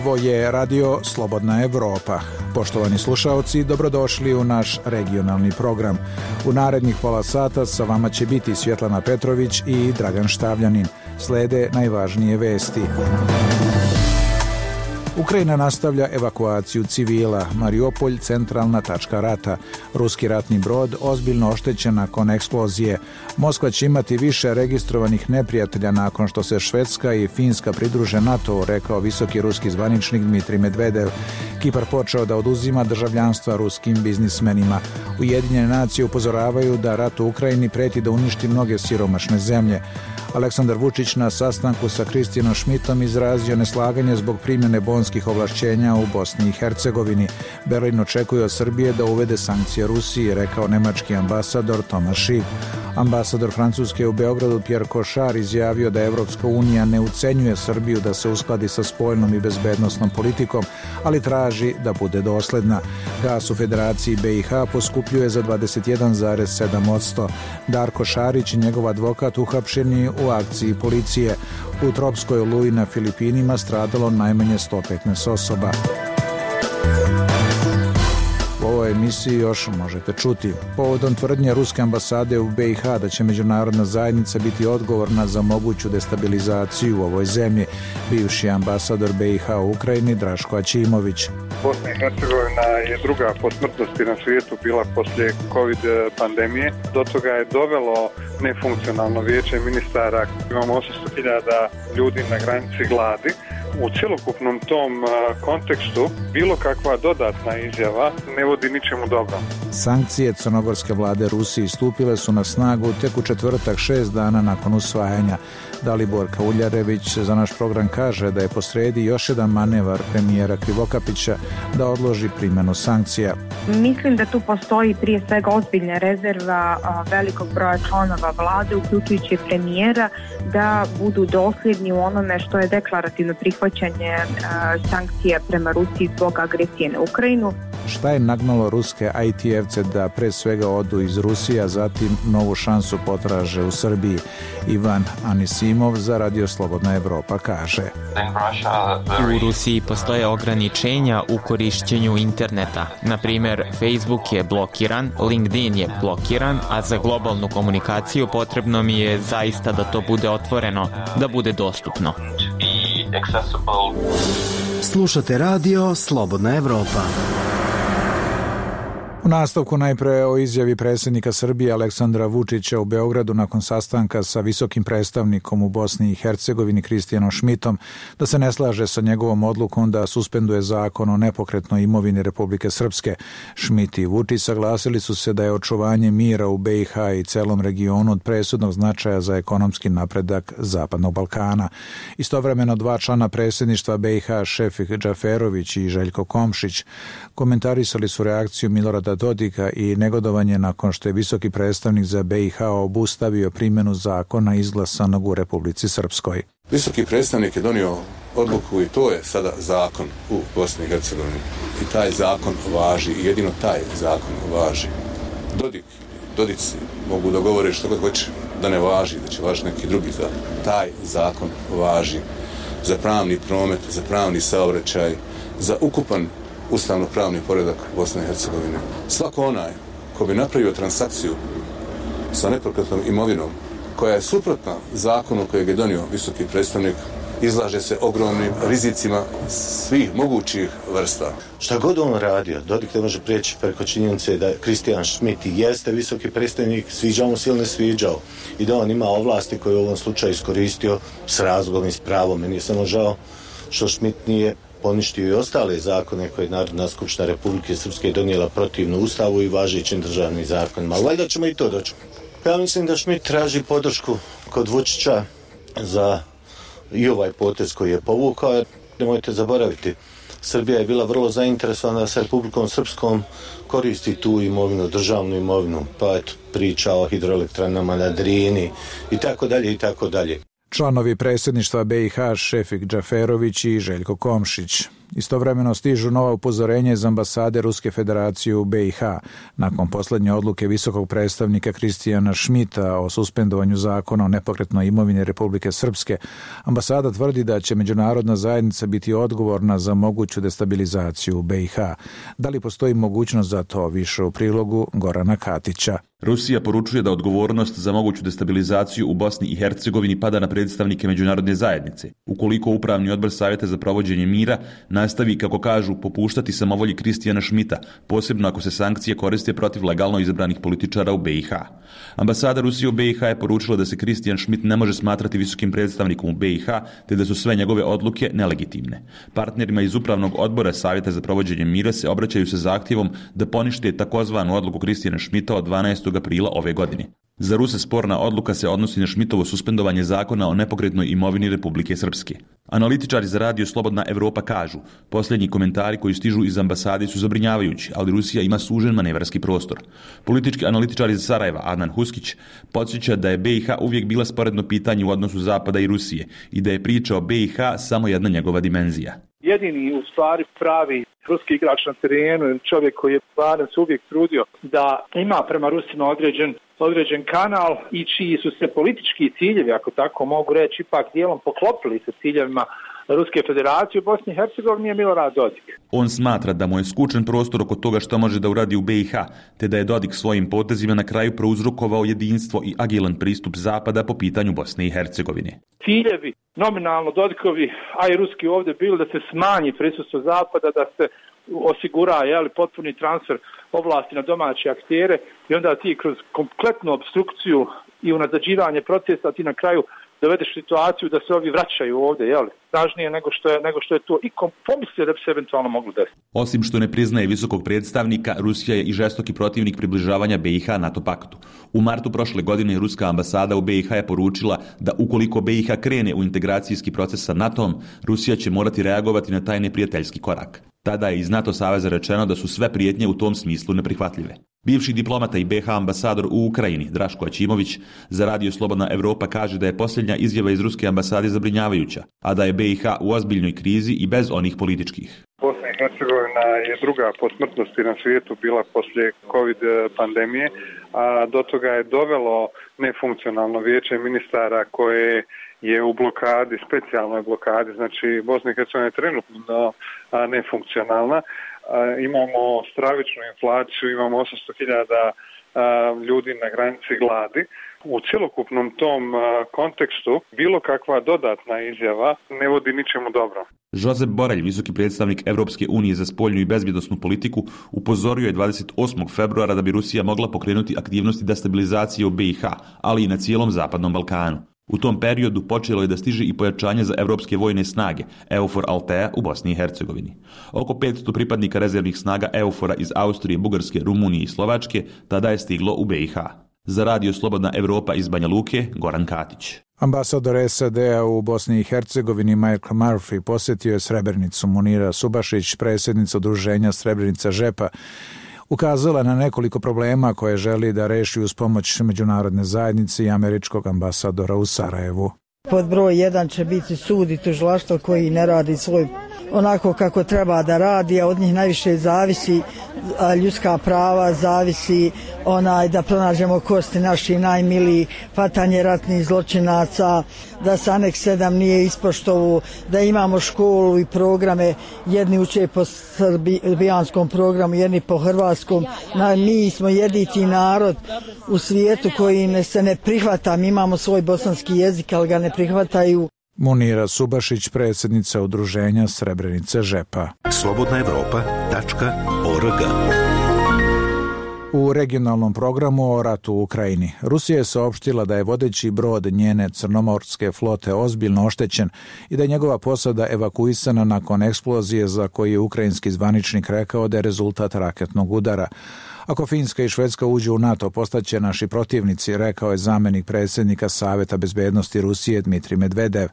Ovo je Radio Slobodna Evropa. Poštovani slušaoci, dobrodošli u naš regionalni program. U narednih pola sata sa vama će biti Svjetlana Petrović i Dragan Štavljanin. Slede najvažnije vesti. Ukrajina nastavlja evakuaciju civila. Mariupolj centralna tačka rata. Ruski ratni brod ozbiljno oštećen nakon eksplozije. Moskva će imati više registrovanih neprijatelja nakon što se Švedska i Finska pridruže NATO, rekao visoki ruski zvaničnik Dmitrij Medvedev. Kipar počeo da oduzima državljanstva ruskim biznismenima. Ujedinjene nacije upozoravaju da rat u Ukrajini preti da uništi mnoge siromašne zemlje. Aleksandar Vučić na sastanku sa Kristijanom Šmitom izrazio neslaganje zbog primjene bonskih ovlašćenja u Bosni i Hercegovini. Berlin očekuje od Srbije da uvede sankcije Rusiji, rekao nemački ambasador Tomas Schick. Ambasador Francuske u Beogradu Pierre Cochard izjavio da Evropska unija ne ucenjuje Srbiju da se uskladi sa spoljnom i bezbednosnom politikom, ali traži da bude dosledna. Gas u Federaciji BiH poskupljuje za 21,7%. Darko Šarić i njegov advokat uhapšeni u akciji policije. U tropskoj oluji na Filipinima stradalo najmanje 115 osoba. U ovoj emisiji još možete čuti. Povodom tvrdnje ruske ambasade u BiH da će međunarodna zajednica biti odgovorna za moguću destabilizaciju u ovoj zemlji, bivši ambasador BiH u Ukrajini Draško Aćimović. Bosna i Hercegovina je druga po smrtnosti na svijetu bila poslije COVID pandemije. Do toga je dovelo nefunkcionalno vijeće ministara. Imamo 800.000 ljudi na granici gladi. U cjelokupnom tom kontekstu bilo kakva dodatna izjava ne vodi ničemu dobrom. Sankcije crnogorske vlade Rusiji stupile su na snagu tek u četvrtak 6 dana nakon usvajanja. Dalibor Kauljarević za naš program kaže da je posredi još jedan manevar premijera Krivokapića da odloži primjenu sankcija. Mislim da tu postoji prije svega ozbiljna rezerva velikog broja članova vlade, uključujući premijera, da budu dosljedni u onome što je deklarativno prihvaćanje sankcija prema Rusiji zbog agresije na Ukrajinu. Šta je nagnalo ruske IT-evce da pre svega odu iz Rusije, a zatim novu šansu potraže u Srbiji? Ivan Anisimov za Radio Slobodna Evropa kaže: U Rusiji postoje ograničenja u korišćenju interneta. Na primjer, Facebook je blokiran, LinkedIn je blokiran, a za globalnu komunikaciju potrebno mi je zaista da to bude otvoreno, da bude dostupno. Slušate Radio Slobodna Evropa. U nastavku najpre o izjavi predsjednika Srbije Aleksandra Vučića u Beogradu nakon sastanka sa visokim predstavnikom u Bosni i Hercegovini Kristijanom Šmitom da se ne slaže sa njegovom odlukom da suspenduje zakon o nepokretnoj imovini Republike Srpske. Šmit i Vučić saglasili su se da je očuvanje mira u BiH i celom regionu od presudnog značaja za ekonomski napredak Zapadnog Balkana. Istovremeno dva člana predsjedništva BiH, Šefik Džaferović i Željko Komšić, komentarisali su reakciju Milorada Dodika i negodovanje nakon što je visoki predstavnik za BiH obustavio primjenu zakona izglasanog u Republici Srpskoj. Visoki predstavnik je donio odluku i to je sada zakon u Bosni i Hercegovini. I taj zakon važi, i jedino taj zakon važi. Dodici mogu dogovoriti što god hoće da ne važi, da će važiti neki drugi zakon. Taj zakon važi za pravni promet, za pravni saobraćaj, za ukupan ustavno-pravni poredak Bosne i Hercegovine. Svako onaj ko bi napravio transakciju sa nepokretnom imovinom koja je suprotna zakonu kojeg je donio visoki predstavnik, izlaže se ogromnim rizicima svih mogućih vrsta. Šta god on radio, Dodik ne može prijeći preko činjenice da Kristijan Šmit jeste visoki predstavnik, sviđao mu se ili ne sviđao, i da on ima ovlasti koje u ovom slučaju iskoristio s razlogom i s pravom. Meni je samo žao što Šmit nije poništio i ostale zakone koje je Narodna skupština Republike Srpske donijela protivno Ustavu i važećim državnim zakonima. Ali valjda ćemo i to doći. Ja mislim da Šmit traži podršku kod Vučića za i ovaj potez koji je povukao. Nemojte zaboraviti, Srbija je bila vrlo zainteresovana sa Republikom Srpskom koristi tu imovinu, državnu imovinu, pa eto, priča o hidroelektranama na Drini i tako dalje i tako dalje. Članovi predsjedništva BiH Šefik Džaferović i Željko Komšić. Istovremeno stižu nova upozorenja iz ambasade Ruske federacije u BiH. Nakon posljednje odluke visokog predstavnika Kristijana Šmita o suspendovanju zakona o nepokretnoj imovini Republike Srpske, ambasada tvrdi da će međunarodna zajednica biti odgovorna za moguću destabilizaciju u BiH. Da li postoji mogućnost za to? Više u prilogu Gorana Katića. Rusija poručuje da odgovornost za moguću destabilizaciju u Bosni i Hercegovini pada na predstavnike međunarodne zajednice. Ukoliko Upravni odbor Savjeta za provođenje mira nastavi, kako kažu, popuštati samovolji Kristijana Šmita, posebno ako se sankcije koriste protiv legalno izabranih političara u BiH. Ambasada Rusije u BiH je poručila da se Kristijan Šmit ne može smatrati visokim predstavnikom u BiH, te da su sve njegove odluke nelegitimne. Partnerima iz Upravnog odbora Savjeta za provođenje mira se obraćaju sa zahtjevom da ponište takozvanu odluku Kristijana Šmita od 12. aprila ove godine. Za Ruse sporna odluka se odnosi na Šmitovo suspendovanje zakona o nepokretnoj imovini Republike Srpske. Analitičari za radio Slobodna Evropa kažu, posljednji komentari koji stižu iz ambasade su zabrinjavajući, ali Rusija ima sužen manevarski prostor. Politički analitičar iz Sarajeva, Adnan Huskić, podsjeća da je BiH uvijek bila sporedno pitanje u odnosu Zapada i Rusije i da je priča o BiH samo jedna njegova dimenzija. Jedini u stvari pravi ruski igrač na terenu, čovjek koji je barem se uvijek trudio da ima prema Rusima određen kanal i čiji su se politički ciljevi, ako tako mogu reći, ipak dijelom poklopili sa ciljevima Ruske federacije u Bosni i Hercegovini je Milorad Dodik. On smatra da mu je skučen prostor oko toga što može da uradi u BiH, te da je Dodik svojim potezima na kraju prouzrokovao jedinstvo i agilan pristup Zapada po pitanju Bosne i Hercegovine. Ciljevi nominalno Dodikovi, a i ruski ovdje bili da se smanji prisustvo Zapada, da se osigura potpuni transfer ovlasti na domaće aktere i onda ti kroz kompletnu obstrukciju i unazađivanje procesa ti na kraju dovedeš situaciju da se ovi vraćaju ovdje, snažnije nego što je to i pomislio da bi se eventualno moglo desiti. Osim što ne priznaje visokog predstavnika, Rusija je i žestoki protivnik približavanja BiH NATO paktu. U martu prošle godine ruska ambasada u BiH je poručila da ukoliko BiH krene u integracijski proces sa NATO-om, Rusija će morati reagovati na taj neprijateljski korak. Tada je iz NATO saveza rečeno da su sve prijetnje u tom smislu neprihvatljive. Bivši diplomata i BiH ambasador u Ukrajini, Draško Aćimović, za radio Slobodna Evropa kaže da je posljednja izjava iz ruske ambasade zabrinjavajuća, a da je BiH u ozbiljnoj krizi i bez onih političkih. Bosna i Hercegovina je druga po smrtnosti na svijetu bila poslije COVID pandemije, a do toga je dovelo nefunkcionalno vijeće ministara koje je u blokadi, specijalnoj blokadi, znači Bosna i Hercegovina je trenutno nefunkcionalna. Imamo stravičnu inflaciju, imamo 800.000 ljudi na granici gladi. U cjelokupnom tom kontekstu bilo kakva dodatna izjava ne vodi ničemu dobro. Josep Borrell, visoki predstavnik Evropske unije za spoljnu i bezbjednosnu politiku, upozorio je 28. februara da bi Rusija mogla pokrenuti aktivnosti destabilizacije u BiH, ali i na cijelom Zapadnom Balkanu. U tom periodu počelo je da stiže i pojačanje za evropske vojne snage EUFOR Altea u Bosni i Hercegovini. Oko 500 pripadnika rezervnih snaga EUFOR-a iz Austrije, Bugarske, Rumunije i Slovačke tada je stiglo u BiH. Za radio Slobodna Evropa iz Banja Luke, Goran Katić. Ambasador SAD-a u Bosni i Hercegovini Michael Murphy posjetio je Srebrenicu. Munira Subašić, predsjednica udruženja Srebrenica Žepa, ukazala na nekoliko problema koje želi da reši uz pomoć međunarodne zajednice i američkog ambasadora u Sarajevu. Pod broj 1 će biti sud i tužilaštvo koji ne radi svoj onako kako treba da radi, a od njih najviše zavisi ljudska prava, zavisi da pronađemo kosti naših najmilijih, hvatanje ratnih zločinaca, da se Aneks 7 nije ispoštovao, da imamo školu i programe, jedni uče po srbijanskom programu, jedni po hrvatskom. Mi smo jedini narod u svijetu koji se ne prihvata, mi imamo svoj bosanski jezik, ali ga ne prihvataju. Munira Subašić, predsjednica udruženja Srebrenice Žepa. slobodnaevropa.org. U regionalnom programu o ratu u Ukrajini, Rusija je saopštila da je vodeći brod njene crnomorske flote ozbiljno oštećen i da je njegova posada evakuisana nakon eksplozije za koju je ukrajinski zvaničnik rekao da je rezultat raketnog udara. Ako Finska i Švedska uđu u NATO, postaće naši protivnici, rekao je zamjenik predsjednika Savjeta bezbednosti Rusije Dmitrij Medvedev.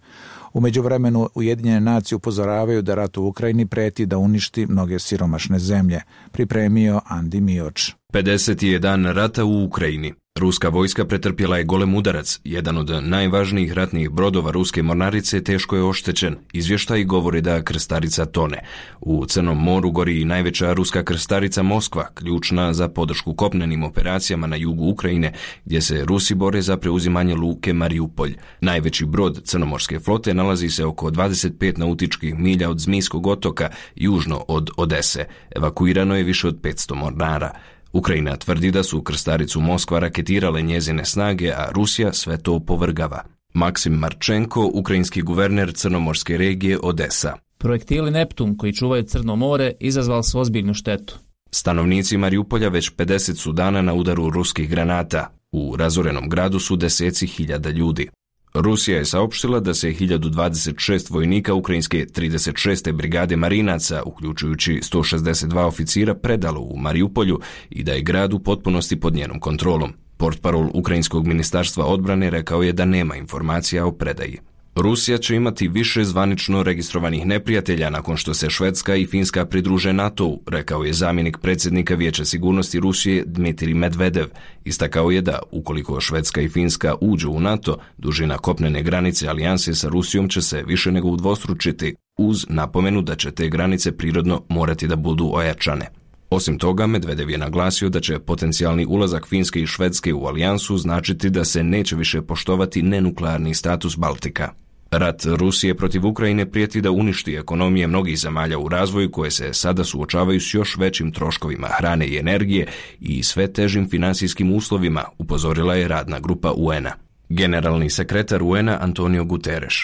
U međuvremenu Ujedinjene nacije upozoravaju da rat u Ukrajini preti da uništi mnoge siromašne zemlje. Pripremio Andi Mioč. 50. je dan rata u Ukrajini. Ruska vojska pretrpjela je golem udarac. Jedan od najvažnijih ratnih brodova ruske mornarice teško je oštećen. Izvještaji govori da krstarica tone. U Crnom moru gori i najveća ruska krstarica Moskva, ključna za podršku kopnenim operacijama na jugu Ukrajine, gdje se Rusi bore za preuzimanje luke Mariupolj. Najveći brod crnomorske flote nalazi se oko 25 nautičkih milja od Zmijskog otoka, južno od Odese. Evakuirano je više od 500 mornara. Ukrajina tvrdi da su krstaricu Moskva raketirale njezine snage, a Rusija sve to opovrgava. Maksim Marčenko, ukrajinski guverner crnomorske regije Odesa. Projektili Neptun koji čuvaju Crno more izazvali su ozbiljnu štetu. Stanovnici Mariupolja već 50 su dana na udaru ruskih granata. U razorenom gradu su deseci hiljada ljudi. Rusija je saopštila da se 1026 vojnika ukrajinske 36. brigade marinaca, uključujući 162 oficira, predalo u Mariupolju i da je grad u potpunosti pod njenom kontrolom. Portparol Ukrajinskog ministarstva odbrane rekao je da nema informacija o predaji. Rusija će imati više zvanično registrovanih neprijatelja nakon što se Švedska i Finska pridruže NATO-u, rekao je zamjenik predsjednika Vijeća sigurnosti Rusije Dmitrij Medvedev. Istakao je da, ukoliko Švedska i Finska uđu u NATO, dužina kopnene granice alijanse sa Rusijom će se više nego udvostručiti, uz napomenu da će te granice prirodno morati da budu ojačane. Osim toga, Medvedev je naglasio da će potencijalni ulazak Finske i Švedske u alijansu značiti da se neće više poštovati nenuklearni status Baltika. Rat Rusije protiv Ukrajine prijeti da uništi ekonomije mnogih zemalja u razvoju koje se sada suočavaju s još većim troškovima hrane i energije i sve težim finansijskim uslovima, upozorila je radna grupa UN-a. Generalni sekretar UN-a Antonio Guterres.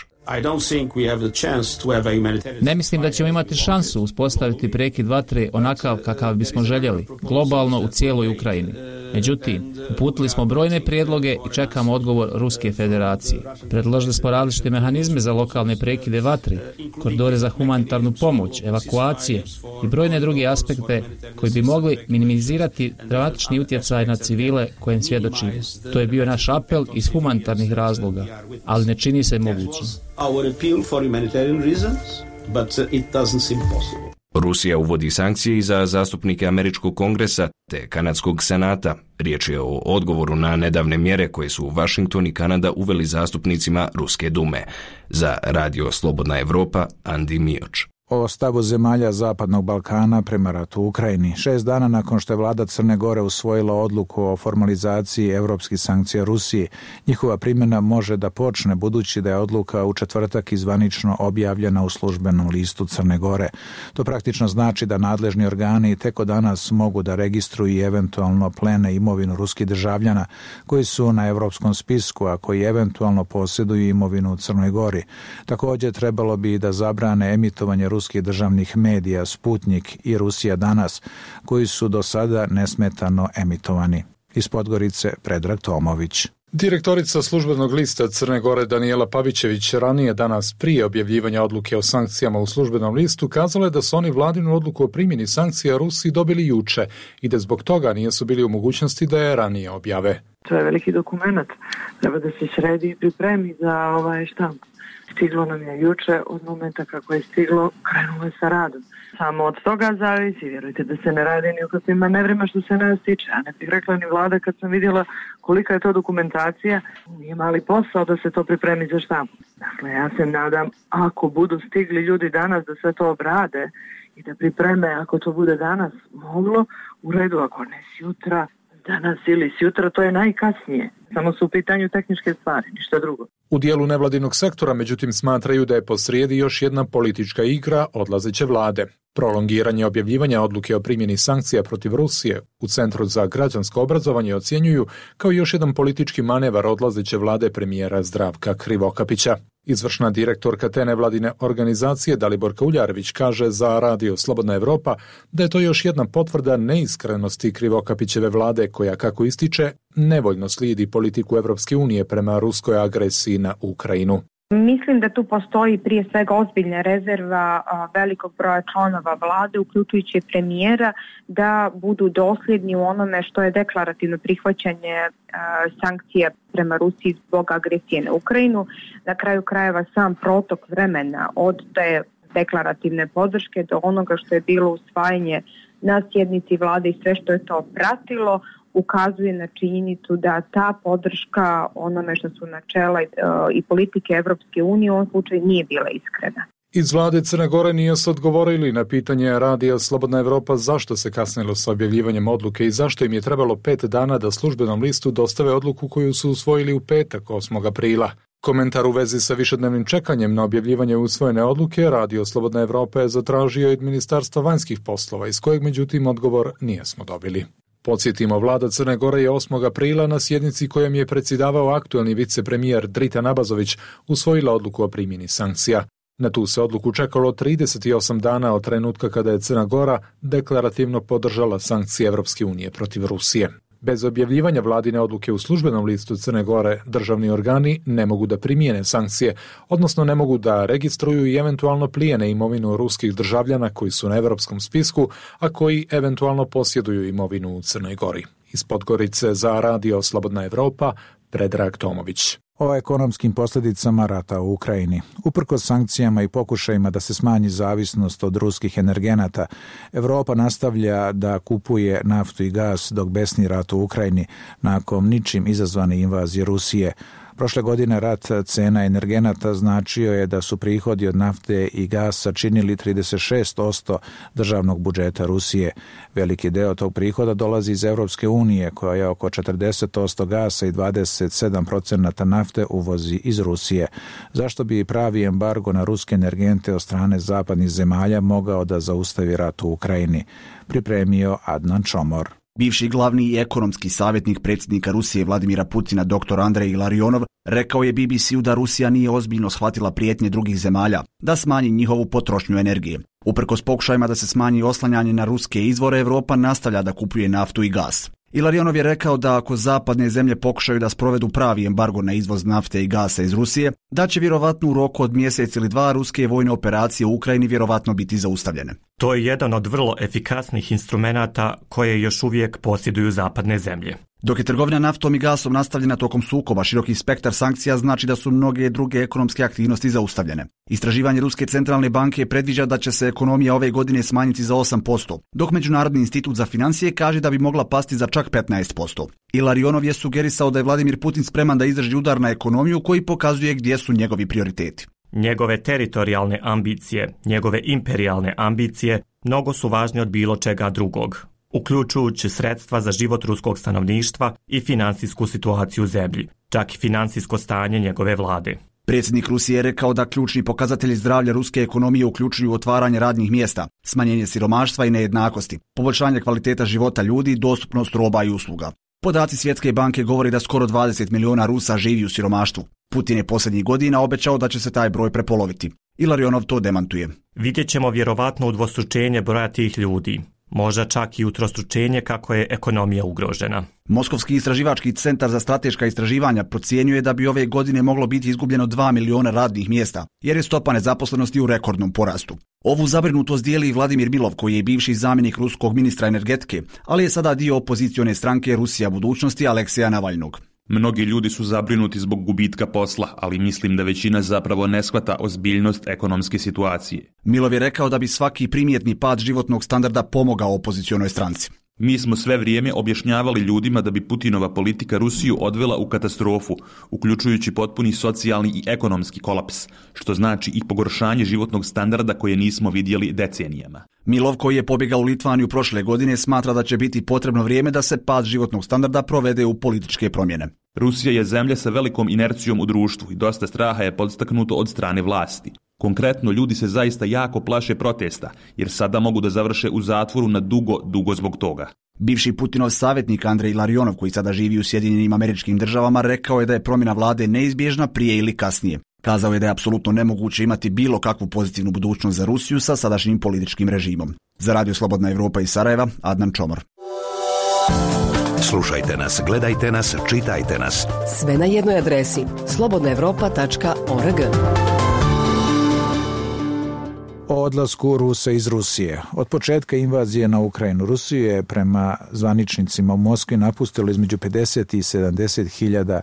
Ne mislim da ćemo imati šansu uspostaviti prekid vatre onakav kakav bismo željeli, globalno u cijeloj Ukrajini. Međutim, uputili smo brojne prijedloge i čekamo odgovor Ruske federacije. Predložili smo različite mehanizme za lokalne prekide vatre, koridore za humanitarnu pomoć, evakuacije i brojne druge aspekte koji bi mogli minimizirati dramatični utjecaj na civile kojem svjedočimo. To je bio naš apel iz humanitarnih razloga, ali ne čini se mogućim. Rusija uvodi sankcije i za zastupnike Američkog kongresa te Kanadskog senata. Riječ je o odgovoru na nedavne mjere koje su Washington i Kanada uveli zastupnicima Ruske dume. Za Radio Slobodna Evropa, Andi Mioč. O stavu zemalja Zapadnog Balkana prema ratu u Ukrajini. 6 dana nakon što je vlada Crne Gore usvojila odluku o formalizaciji evropskih sankcija Rusiji, njihova primjena može da počne budući da je odluka u četvrtak zvanično objavljena u službenom listu Crne Gore. To praktično znači da nadležni organi tek od danas mogu da registruju i eventualno plene imovinu ruskih državljana koji su na evropskom spisku, a koji eventualno posjeduju imovinu u Crnoj Gori. Također trebalo bi da zabrane emitovanje ruskih državnih medija Sputnik i Rusija danas, koji su do sada nesmetano emitovani. Iz Podgorice, Predrag Tomović. Direktorica službenog lista Crne Gore Danijela Pavićević ranije danas prije objavljivanja odluke o sankcijama u službenom listu kazala je da su oni vladinu odluku o primjeni sankcija Rusiji dobili juče i da zbog toga nisu bili u mogućnosti da je ranije objave. To je veliki dokument, treba da se sredi i pripremi za štamp. Stiglo nam je juče, od momenta kako je stiglo, krenulo je sa radom. Samo od toga zavisi, vjerujte da se ne radi ni u kakvim manevrima što se nas tiče. A ne bih rekla ni vlada kad sam vidjela kolika je to dokumentacija, nije mali posao da se to pripremi za štampu. Dakle, ja se nadam, ako budu stigli ljudi danas da sve to obrade i da pripreme, ako to bude danas moglo, u redu, ako ne sjutra, danas ili sjutra, to je najkasnije. Samo su u pitanju tehničke stvari, ništa drugo. U dijelu nevladinog sektora, međutim, smatraju da je posrijedi još jedna politička igra odlazeće vlade. Prolongiranje objavljivanja odluke o primjeni sankcija protiv Rusije u Centru za građansko obrazovanje ocjenjuju kao još jedan politički manevar odlazeće vlade premijera Zdravka Krivokapića. Izvršna direktorka te nevladine organizacije Daliborka Uljarević kaže za Radio Slobodna Evropa da je to još jedna potvrda neiskrenosti Krivokapićeve vlade koja, kako ističe, nevoljno slijedi politiku Evropske unije prema ruskoj agresiji na Ukrajinu. Mislim da tu postoji prije svega ozbiljna rezerva velikog broja članova vlade, uključujući premijera, da budu dosljedni u onome što je deklarativno prihvaćanje sankcija prema Rusiji zbog agresije na Ukrajinu. Na kraju krajeva sam protok vremena od te deklarativne podrške do onoga što je bilo usvajanje na sjednici vlade i sve što je to pratilo, ukazuje na činjenicu da ta podrška onome što su načela i politike Evropske unije u ovom slučaju nije bila iskrena. Iz vlade Crne Gore nije se odgovorili na pitanje radija Slobodna Evropa zašto se kasnilo sa objavljivanjem odluke i zašto im je trebalo 5 dana da službenom listu dostave odluku koju su usvojili u petak 8. aprila. Komentar u vezi sa višednevnim čekanjem na objavljivanje usvojene odluke Radio Slobodna Evropa je zatražio od Ministarstva vanjskih poslova, iz kojeg međutim odgovor nijesmo dobili. Podsjetimo, vlada Crne Gore je 8. aprila na sjednici kojom je predsjedavao aktuelni vicepremijer Dritan Abazović usvojila odluku o primjeni sankcija. Na tu se odluku čekalo 38 dana od trenutka kada je Crna Gora deklarativno podržala sankcije Evropske unije protiv Rusije. Bez objavljivanja vladine odluke u službenom listu Crne Gore, državni organi ne mogu da primijene sankcije, odnosno ne mogu da registruju i eventualno plijene imovinu ruskih državljana koji su na evropskom spisku, a koji eventualno posjeduju imovinu u Crnoj Gori. Iz Podgorice za Radio Slobodna Evropa, Predrag Tomović. O ekonomskim posljedicama rata u Ukrajini. Uprkos sankcijama i pokušajima da se smanji zavisnost od ruskih energenata, Evropa nastavlja da kupuje naftu i gas dok besni rat u Ukrajini nakon ničim izazvane invazije Rusije. Prošle godine rat cena energenata značio je da su prihodi od nafte i gasa činili 36% državnog budžeta Rusije. Veliki deo tog prihoda dolazi iz Evropske unije, koja je oko 40% gasa i 27% nafte uvozi iz Rusije. Zašto bi pravi embargo na ruske energente od strane zapadnih zemalja mogao da zaustavi rat u Ukrajini? Pripremio Adnan Čomor. Bivši glavni i ekonomski savjetnik predsjednika Rusije Vladimira Putina dr. Andrej Ilarionov rekao je BBC-u da Rusija nije ozbiljno shvatila prijetnje drugih zemalja da smanji njihovu potrošnju energije. Uprkos pokušajima da se smanji oslanjanje na ruske izvore, Europa nastavlja da kupuje naftu i gas. Ilarionov je rekao da ako zapadne zemlje pokušaju da sprovedu pravi embargo na izvoz nafte i gasa iz Rusije, da će vjerovatno u roku od mjesec ili dva ruske vojne operacije u Ukrajini vjerovatno biti zaustavljene. To je jedan od vrlo efikasnih instrumenata koje još uvijek posjeduju zapadne zemlje. Dok je trgovina naftom i gasom nastavljena tokom sukoba, široki spektar sankcija znači da su mnoge druge ekonomske aktivnosti zaustavljene. Istraživanje Ruske centralne banke predviđa da će se ekonomija ove godine smanjiti za 8%, dok Međunarodni institut za financije kaže da bi mogla pasti za čak 15%. Ilarionov je sugerisao da je Vladimir Putin spreman da izdrži udar na ekonomiju koji pokazuje gdje su njegovi prioriteti. Njegove teritorijalne ambicije, njegove imperijalne ambicije mnogo su važnije od bilo čega drugog, uključujući sredstva za život ruskog stanovništva i financijsku situaciju u zemlji, čak i financijsko stanje njegove vlade. Predsjednik Rusije je rekao da ključni pokazatelji zdravlja ruske ekonomije uključuju otvaranje radnih mjesta, smanjenje siromaštva i nejednakosti, poboljšanje kvaliteta života ljudi, dostupnost roba i usluga. Podaci Svjetske banke govori da skoro 20 milijuna Rusa živi u siromaštvu. Putin je posljednjih godina obećao da će se taj broj prepoloviti. Ilarionov to demantuje. Vidjet ćemo vjerovatno udvostručenje broja tih ljudi. Možda čak i utrostručenje kako je ekonomija ugrožena. Moskovski istraživački centar za strateška istraživanja procjenjuje da bi ove godine moglo biti izgubljeno 2 miliona radnih mjesta, jer je stopa nezaposlenosti u rekordnom porastu. Ovu zabrinutost dijeli i Vladimir Milov, koji je bivši zamjenik ruskog ministra energetike, ali je sada dio opozicione stranke Rusija budućnosti Alekseja Navalnog. Mnogi ljudi su zabrinuti zbog gubitka posla, ali mislim da većina zapravo ne shvata ozbiljnost ekonomske situacije. Milov je rekao da bi svaki primjetni pad životnog standarda pomogao opozicionoj stranci. Mi smo sve vrijeme objašnjavali ljudima da bi Putinova politika Rusiju odvela u katastrofu, uključujući potpuni socijalni i ekonomski kolaps, što znači i pogoršanje životnog standarda koje nismo vidjeli decenijama. Milov, koji je pobjegao u Litvaniju prošle godine, smatra da će biti potrebno vrijeme da se pad životnog standarda provede u političke promjene. Rusija je zemlja sa velikom inercijom u društvu i dosta straha je podstaknuto od strane vlasti. Konkretno, ljudi se zaista jako plaše protesta, jer sada mogu da završe u zatvoru na dugo zbog toga. Bivši Putinov savjetnik Andrej Ilarionov, koji sada živi u Sjedinjenim Američkim Državama, rekao je da je promjena vlade neizbježna prije ili kasnije. Kazao je da je apsolutno nemoguće imati bilo kakvu pozitivnu budućnost za Rusiju sa sadašnjim političkim režimom. Za Radio Slobodna Evropa iz Sarajeva, Adnan Čomor. Slušajte nas, gledajte nas, čitajte nas. Sve na jednoj adresi slobodnaevropa.org. O odlasku Rusa iz Rusije. Od početka invazije na Ukrajinu, Rusiju je prema zvaničnicima u Moskvi napustilo između 50 i 70 hiljada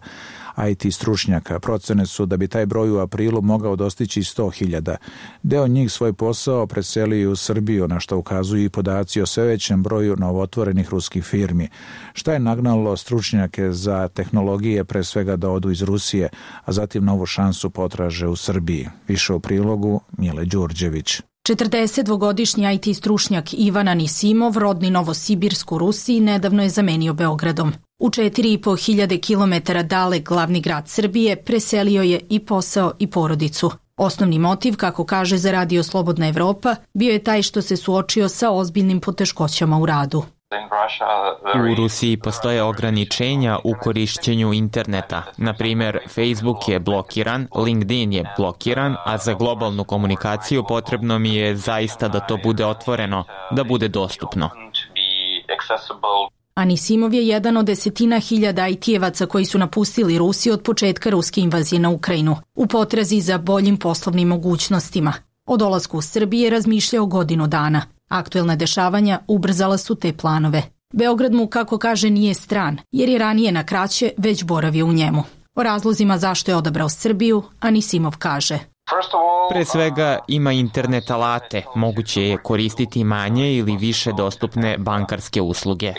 IT stručnjaka. Procene su da bi taj broj u aprilu mogao dostići 100.000. Deo njih svoj posao preselio u Srbiju, na što ukazuju i podaci o sve većem broju novotvorenih ruskih firmi. Šta je nagnalo stručnjake za tehnologije pre svega da odu iz Rusije, a zatim novu šansu potraže u Srbiji? Više u prilogu Mile Đurđević. 42-godišnji IT stručnjak Ivan Anisimov, rodni Novosibirsk u Rusiji, nedavno je zamenio Beogradom. U 4.500 km dalek glavni grad Srbije preselio je i posao i porodicu. Osnovni motiv, kako kaže za Radio Slobodna Evropa, bio je taj što se suočio sa ozbiljnim poteškoćama u radu. U Rusiji postoje ograničenja u korišćenju interneta. Na primjer, Facebook je blokiran, LinkedIn je blokiran, a za globalnu komunikaciju potrebno mi je zaista da to bude otvoreno, da bude dostupno. Anisimov je jedan od 10.000 IT-evaca koji su napustili Rusiju od početka ruske invazije na Ukrajinu, u potrazi za boljim poslovnim mogućnostima. O dolasku u Srbije razmišljao godinu dana. Aktuelna dešavanja ubrzala su te planove. Beograd mu, kako kaže, nije stran, jer je ranije na kraće već boravio u njemu. O razlozima zašto je odabrao Srbiju, Anisimov kaže: Pre svega ima internet alate, moguće je koristiti manje ili više dostupne bankarske usluge.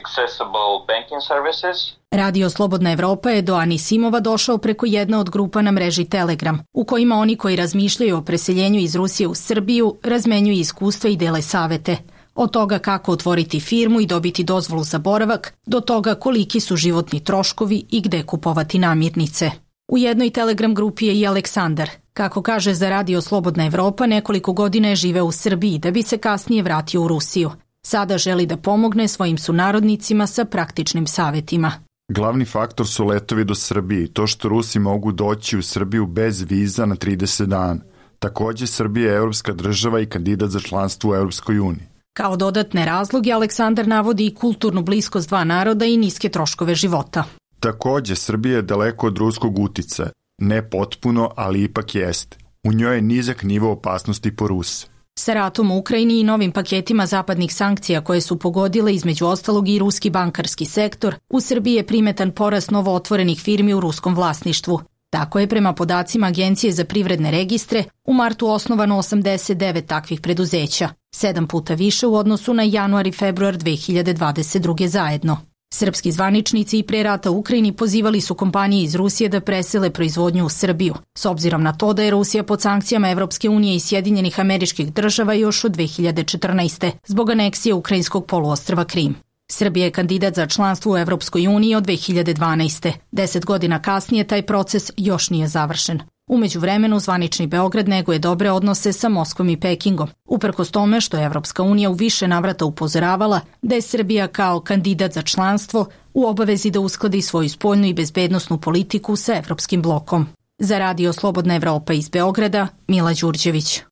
Radio Slobodna Evropa je do Anisimova došao preko jedne od grupa na mreži Telegram, u kojima oni koji razmišljaju o preseljenju iz Rusije u Srbiju razmenjuju iskustva i dele savete. Od toga kako otvoriti firmu i dobiti dozvolu za boravak, do toga koliki su životni troškovi i gde kupovati namirnice. U jednoj Telegram grupi je i Aleksandar. Kako kaže za Radio Slobodna Evropa, nekoliko godina je živeo u Srbiji da bi se kasnije vratio u Rusiju. Sada želi da pomogne svojim sunarodnicima sa praktičnim savetima. Glavni faktor su letovi do Srbije, to što Rusi mogu doći u Srbiju bez viza na 30 dana. Također, Srbija je evropska država i kandidat za članstvo u Europskoj uniji. Kao dodatne razloge, Aleksandar navodi i kulturnu bliskost dva naroda i niske troškove života. Također, Srbija je daleko od ruskog uticaja. Ne potpuno, ali ipak jeste. U njoj je nizak nivo opasnosti po Ruse. Sa ratom u Ukrajini i novim paketima zapadnih sankcija koje su pogodile između ostalog i ruski bankarski sektor, u Srbiji je primetan porast novo otvorenih firmi u ruskom vlasništvu. Tako je prema podacima Agencije za privredne registre u martu osnovano 89 takvih preduzeća, 7 puta više u odnosu na januar i februar 2022. zajedno. Srpski zvaničnici i pre rata u Ukrajini pozivali su kompanije iz Rusije da presele proizvodnju u Srbiju, s obzirom na to da je Rusija pod sankcijama Evropske unije i Sjedinjenih Američkih Država još od 2014. zbog aneksije ukrajinskog poluostrva Krim. Srbija je kandidat za članstvo u Evropskoj uniji od 2012. 10 godina kasnije taj proces još nije završen. U međuvremenu zvanični Beograd neguje dobre odnose sa Moskvom i Pekingom, uprkos tome što je Evropska unija u više navrata upozoravala da je Srbija kao kandidat za članstvo u obavezi da uskladi svoju spoljnu i bezbednosnu politiku sa evropskim blokom. Za Radio Slobodna Evropa iz Beograda, Mila Đurđević.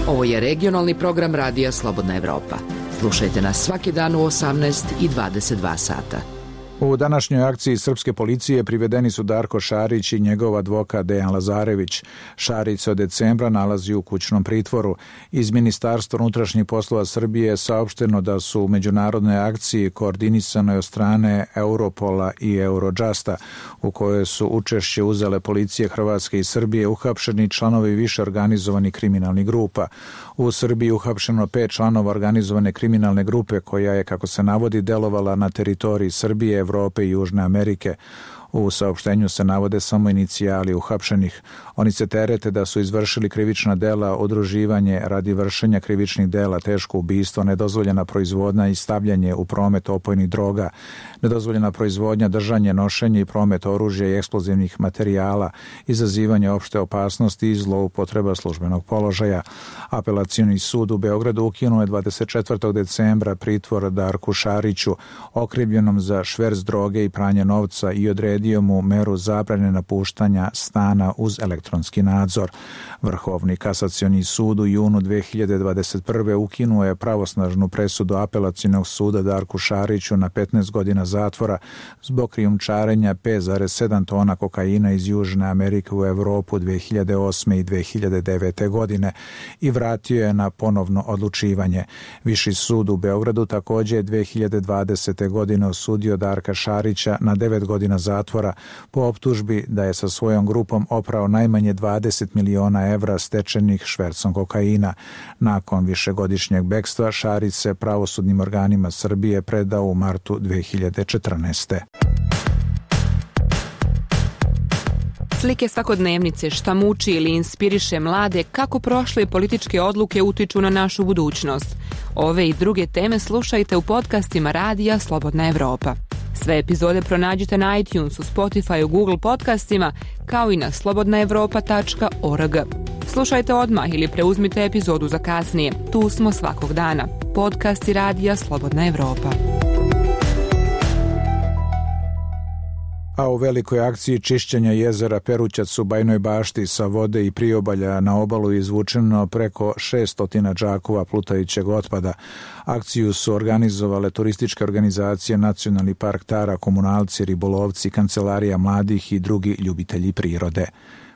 Ovo je regionalni program Radija Slobodna Evropa. Slušajte nas svaki dan u 18 i 22 sata. U današnjoj akciji srpske policije privedeni su Darko Šarić i njegov advokat Dejan Lazarević. Šarić se od decembra nalazi u kućnom pritvoru. Iz Ministarstva unutrašnjih poslova Srbije je saopšteno da su u međunarodnoj akciji koordinisanoj od strane Europola i Eurojusta, u kojoj su učešće uzele policije Hrvatske i Srbije, uhapšeni članovi više organizovanih kriminalnih grupa. U Srbiji uhapšeno 5 članova organizovane kriminalne grupe koja je, kako se navodi, delovala na teritoriji Srbije, Evrope i Južne Amerike. U saopštenju se navode samo inicijali uhapšenih. Oni se terete da su izvršili krivična dela, udruživanje radi vršenja krivičnih dela, teško ubistvo, nedozvoljena proizvodnja i stavljanje u promet opojnih droga, nedozvoljena proizvodnja, držanje, nošenje i promet oružja i eksplozivnih materijala, izazivanje opšte opasnosti i zloupotreba službenog položaja. Apelacioni sud u Beogradu ukinuo je 24. decembra pritvor Darku Šariću, okrivljenom za šverc droge i pranje novca, i odredio mu meru zabrane napuštanja stana uz elektronski nadzor. Vrhovni kasacioni sud u junu 2021. ukinuo je pravosnažnu presudu apelacionog suda Darku Šariću na 15 godina zatvora zbog krijumčarenja 5,7 tona kokaina iz Južne Amerike u Evropu 2008. i 2009. godine i vratio je na ponovno odlučivanje. Viši sud u Beogradu također je 2020. godine osudio Darka Šarića na 9 godina zatvora zatvora po optužbi da je sa svojom grupom oprao najmanje 20 miliona evra stečenih švercom kokaina. Nakon višegodišnjeg bekstva Šarić se pravosudnim organima Srbije predao u martu 2014. Slike svakodnevnice, šta muči ili inspiriše mlade, kako prošle političke odluke utiču na našu budućnost. Ove i druge teme slušajte u podcastima Radija Slobodna Evropa. Sve epizode pronađite na iTunesu, Spotify, Google podcastima, kao i na slobodnaevropa.org. Slušajte odmah ili preuzmite epizodu za kasnije. Tu smo svakog dana. Podcasti Radija Slobodna Evropa. A u velikoj akciji čišćenja jezera Perućac u Bajnoj Bašti sa vode i priobalja na obalu izvučeno preko 600 džakova plutajućeg otpada. Akciju su organizovale turističke organizacije, Nacionalni park Tara, komunalci, ribolovci, kancelarija mladih i drugi ljubitelji prirode.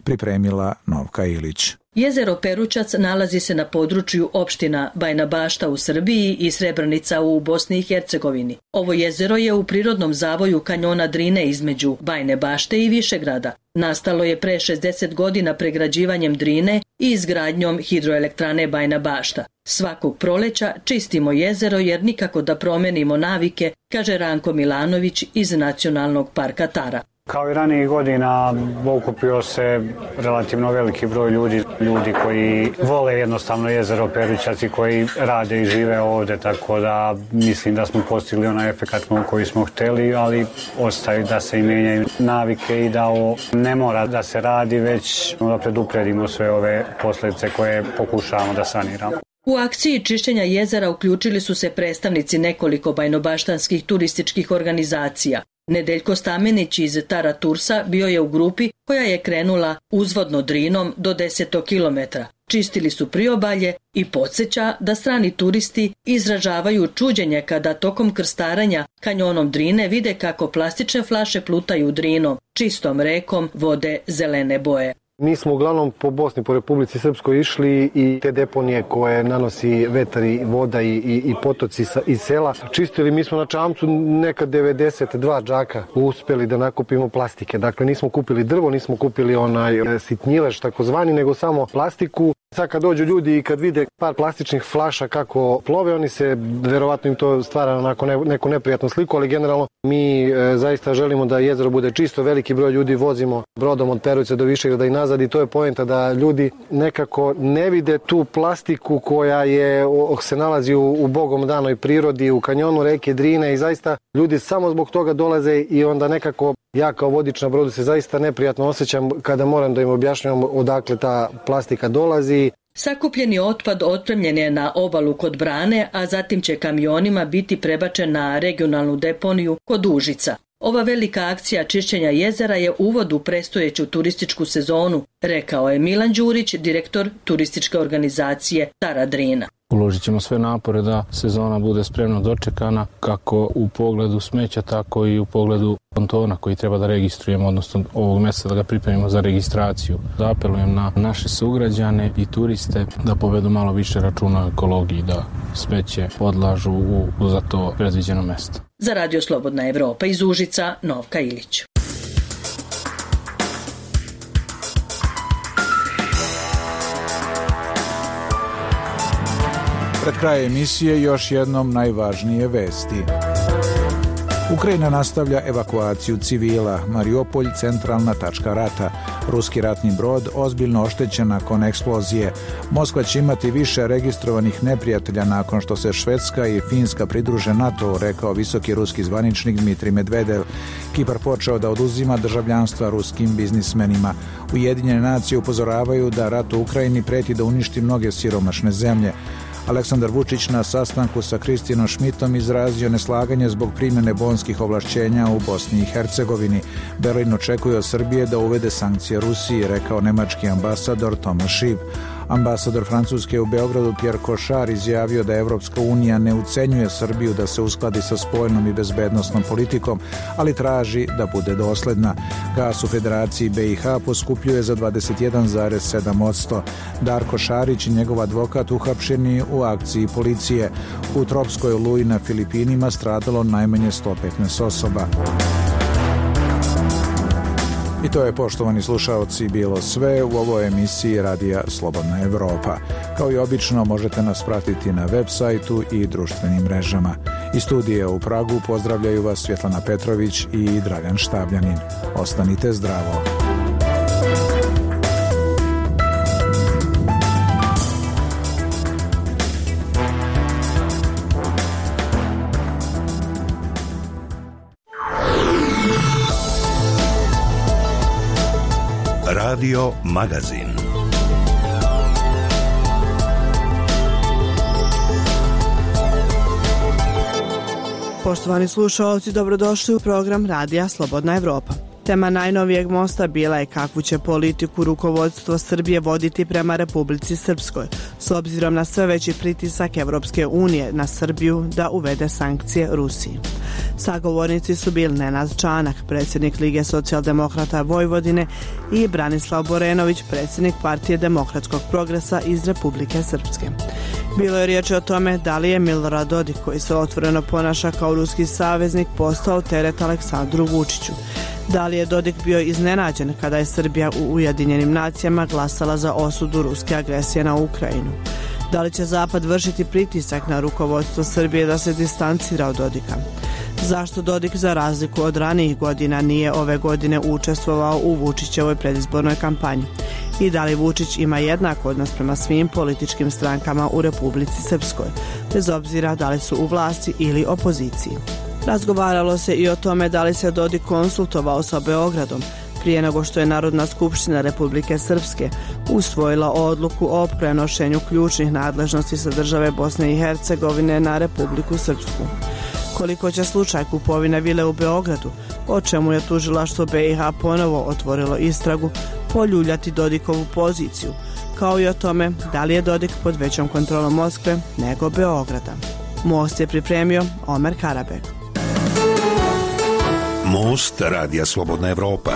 Pripremila Novka Ilić. Jezero Perućac nalazi se na području opština Bajna Bašta u Srbiji i Srebrenica u Bosni i Hercegovini. Ovo jezero je u prirodnom zavoju kanjona Drine između Bajne Bašte i Višegrada. Nastalo je pre 60 godina pregrađivanjem Drine i izgradnjom hidroelektrane Bajna Bašta. Svakog proleća čistimo jezero jer nikako da promenimo navike, kaže Ranko Milanović iz Nacionalnog parka Tara. Kao i ranijih godina okupio se relativno veliki broj ljudi koji vole jednostavno jezero Perućac i koji rade i žive ovde, tako da mislim da smo postigli onaj efekat koji smo hteli, ali ostaje da se i menjaju navike i da ovo ne mora da se radi, već da predupredimo sve ove posljedice koje pokušavamo da saniramo. U akciji čišćenja jezera uključili su se predstavnici nekoliko bajnobaštanskih turističkih organizacija. Nedeljko Stamenić iz Tara Tursa bio je u grupi koja je krenula uzvodno Drinom do 10 kilometra. Čistili su priobalje i podsjeća da strani turisti izražavaju čuđenje kada tokom krstarenja kanjonom Drine vide kako plastične flaše plutaju Drinom, čistom rekom vode zelene boje. Mi smo uglavnom po Bosni, po Republici Srpskoj išli i te deponije koje nanosi vetar i voda i potoci iz sela čistili. Mi smo na čamcu nekad 92 džaka uspeli da nakupimo plastike. Dakle, nismo kupili drvo, nismo kupili onaj sitnjilež takozvani, nego samo plastiku. Sad kad dođu ljudi i kad vide par plastičnih flaša kako plove, oni se, verovatno im to stvara onako neku neprijatnu sliku, ali generalno mi zaista želimo da jezero bude čisto. Veliki broj ljudi vozimo brodom od Peruća do Višegrada i nazad i to je poenta da ljudi nekako ne vide tu plastiku koja se nalazi u bogom danoj prirodi, u kanjonu reke Drine i zaista ljudi samo zbog toga dolaze i onda nekako ja kao vodič na brodu se zaista neprijatno osjećam kada moram da im objašnjavam odakle ta plastika dolazi. Sakupljeni otpad otpremljen je na obalu kod Brane, a zatim će kamionima biti prebačen na regionalnu deponiju kod Užica. Ova velika akcija čišćenja jezera je uvod u predstojeću turističku sezonu, rekao je Milan Đurić, direktor turističke organizacije Tara Drina. Uložit ćemo sve napore da sezona bude spremno dočekana, kako u pogledu smeća, tako i u pogledu pontona koji treba da registrujemo, odnosno ovog mjeseca da ga pripremimo za registraciju. Da apelujem na naše sugrađane i turiste da povedu malo više računa o ekologiji, da smeće odlažu u za to predviđeno mjesto. Za Radio Slobodna Evropa iz Užica, Novka Ilić. Pred kraj emisije još jednom najvažnije vesti. Ukrajina nastavlja evakuaciju civila. Mariupolj centralna tačka rata. Ruski ratni brod ozbiljno oštećen nakon eksplozije. Moskva će imati više registrovanih neprijatelja nakon što se Švedska i Finska pridruže NATO, rekao visoki ruski zvaničnik Dmitrij Medvedev. Kipar počeo da oduzima državljanstva ruskim biznismenima. Ujedinjene nacije upozoravaju da rat u Ukrajini preti da uništi mnoge siromašne zemlje. Aleksandar Vučić na sastanku sa Kristijanom Šmitom izrazio neslaganje zbog primjene bonskih ovlašćenja u Bosni i Hercegovini. Berlin očekuje od Srbije da uvede sankcije Rusiji, rekao nemački ambasador Tomas Šib. Ambasador Francuske u Beogradu Pierre Košar izjavio da Evropska unija ne ucenjuje Srbiju da se uskladi sa spoljnom i bezbednosnom politikom, ali traži da bude dosledna. Gas u Federaciji BiH poskupljuje za 21,7%. Darko Šarić i njegov advokat uhapšeni u akciji policije. U tropskoj oluji na Filipinima stradalo najmanje 115 osoba. I to je, poštovani slušaoci, bilo sve u ovoj emisiji Radija Slobodna Evropa. Kao i obično, možete nas pratiti na web sajtu i društvenim mrežama. Iz studija u Pragu pozdravljaju vas Svjetlana Petrović i Dragan Štabljanin. Ostanite zdravo. Radio Magazin. Poštovani slušalci, dobrodošli u program Radija Slobodna Evropa. Tema najnovijeg mosta bila je kakvu će politiku rukovodstvo Srbije voditi prema Republici Srpskoj, s obzirom na sve veći pritisak Evropske unije na Srbiju da uvede sankcije Rusiji. Sagovornici su bili Nenad Čanak, predsjednik Lige socijaldemokrata Vojvodine, i Branislav Borenović, predsjednik Partije demokratskog progresa iz Republike Srpske. Bilo je riječ o tome da li je Milorad Dodik, koji se otvoreno ponaša kao ruski saveznik, postao teret Aleksandru Vučiću. Da li je Dodik bio iznenađen kada je Srbija u Ujedinjenim nacijama glasala za osudu ruske agresije na Ukrajinu? Da li će Zapad vršiti pritisak na rukovodstvo Srbije da se distancira od Dodika? Zašto Dodik, za razliku od ranijih godina, nije ove godine učestvovao u Vučićevoj predizbornoj kampanji? I da li Vučić ima jednak odnos prema svim političkim strankama u Republici Srpskoj, bez obzira da li su u vlasti ili opoziciji? Razgovaralo se i o tome da li se Dodik konsultovao sa Beogradom prije nego što je Narodna skupština Republike Srpske usvojila odluku o prenošenju ključnih nadležnosti sa države Bosne i Hercegovine na Republiku Srpsku. Koliko će slučaj kupovine vile u Beogradu, o čemu je tužilaštvo BiH ponovo otvorilo istragu, poljuljati Dodikovu poziciju, kao i o tome da li je Dodik pod većom kontrolom Moskve nego Beograda. Most je pripremio Omer Karabek. Most Radija Slobodna Evropa.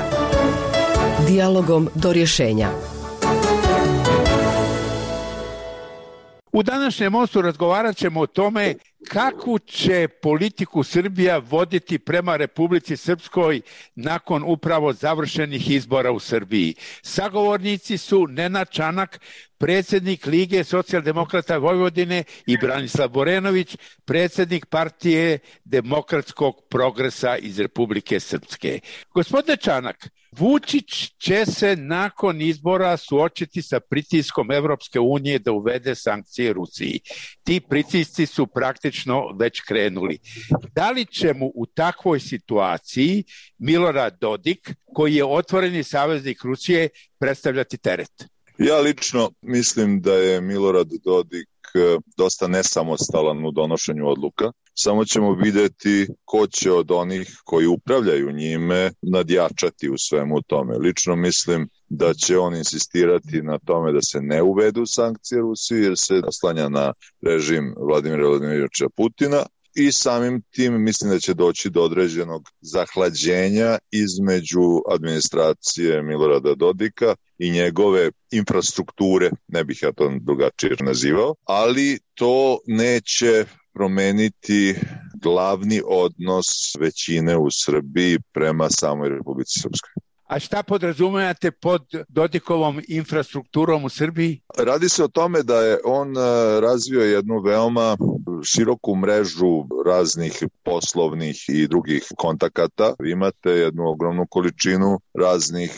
Dijalogom do rješenja. U današnjem mostu razgovarat ćemo o tome kakvu će politiku Srbija voditi prema Republici Srpskoj nakon upravo završenih izbora u Srbiji. Sagovornici su Nenad Čanak, predsjednik Lige socijaldemokrata Vojvodine, i Branislav Borenović, predsjednik Partije demokratskog progresa iz Republike Srpske. Gospodine Čanak, Vučić će se nakon izbora suočiti sa pritiskom Evropske unije da uvede sankcije Rusiji. Ti pritisci su praktično već krenuli. Da li će mu u takvoj situaciji Milorad Dodik, koji je otvoreni saveznik Rusije, predstavljati teret? Ja lično mislim da je Milorad Dodik dosta nesamostalan u donošenju odluka. Samo ćemo vidjeti ko će od onih koji upravljaju njime nadjačati u svemu tome. Lično mislim da će on insistirati na tome da se ne uvedu sankcije Rusiji, jer se oslanja na režim Vladimira Vladimiroviča Putina. I samim tim mislim da će doći do određenog zahlađenja između administracije Milorada Dodika i njegove infrastrukture, ne bih ja to drugačije nazivao, ali to neće promeniti glavni odnos većine u Srbiji prema samoj Republici Srpskoj. A šta podrazumijate pod Dodikovom infrastrukturom u Srbiji? Radi se o tome da je on razvio jednu veoma široku mrežu raznih poslovnih i drugih kontakata. Vi imate jednu ogromnu količinu raznih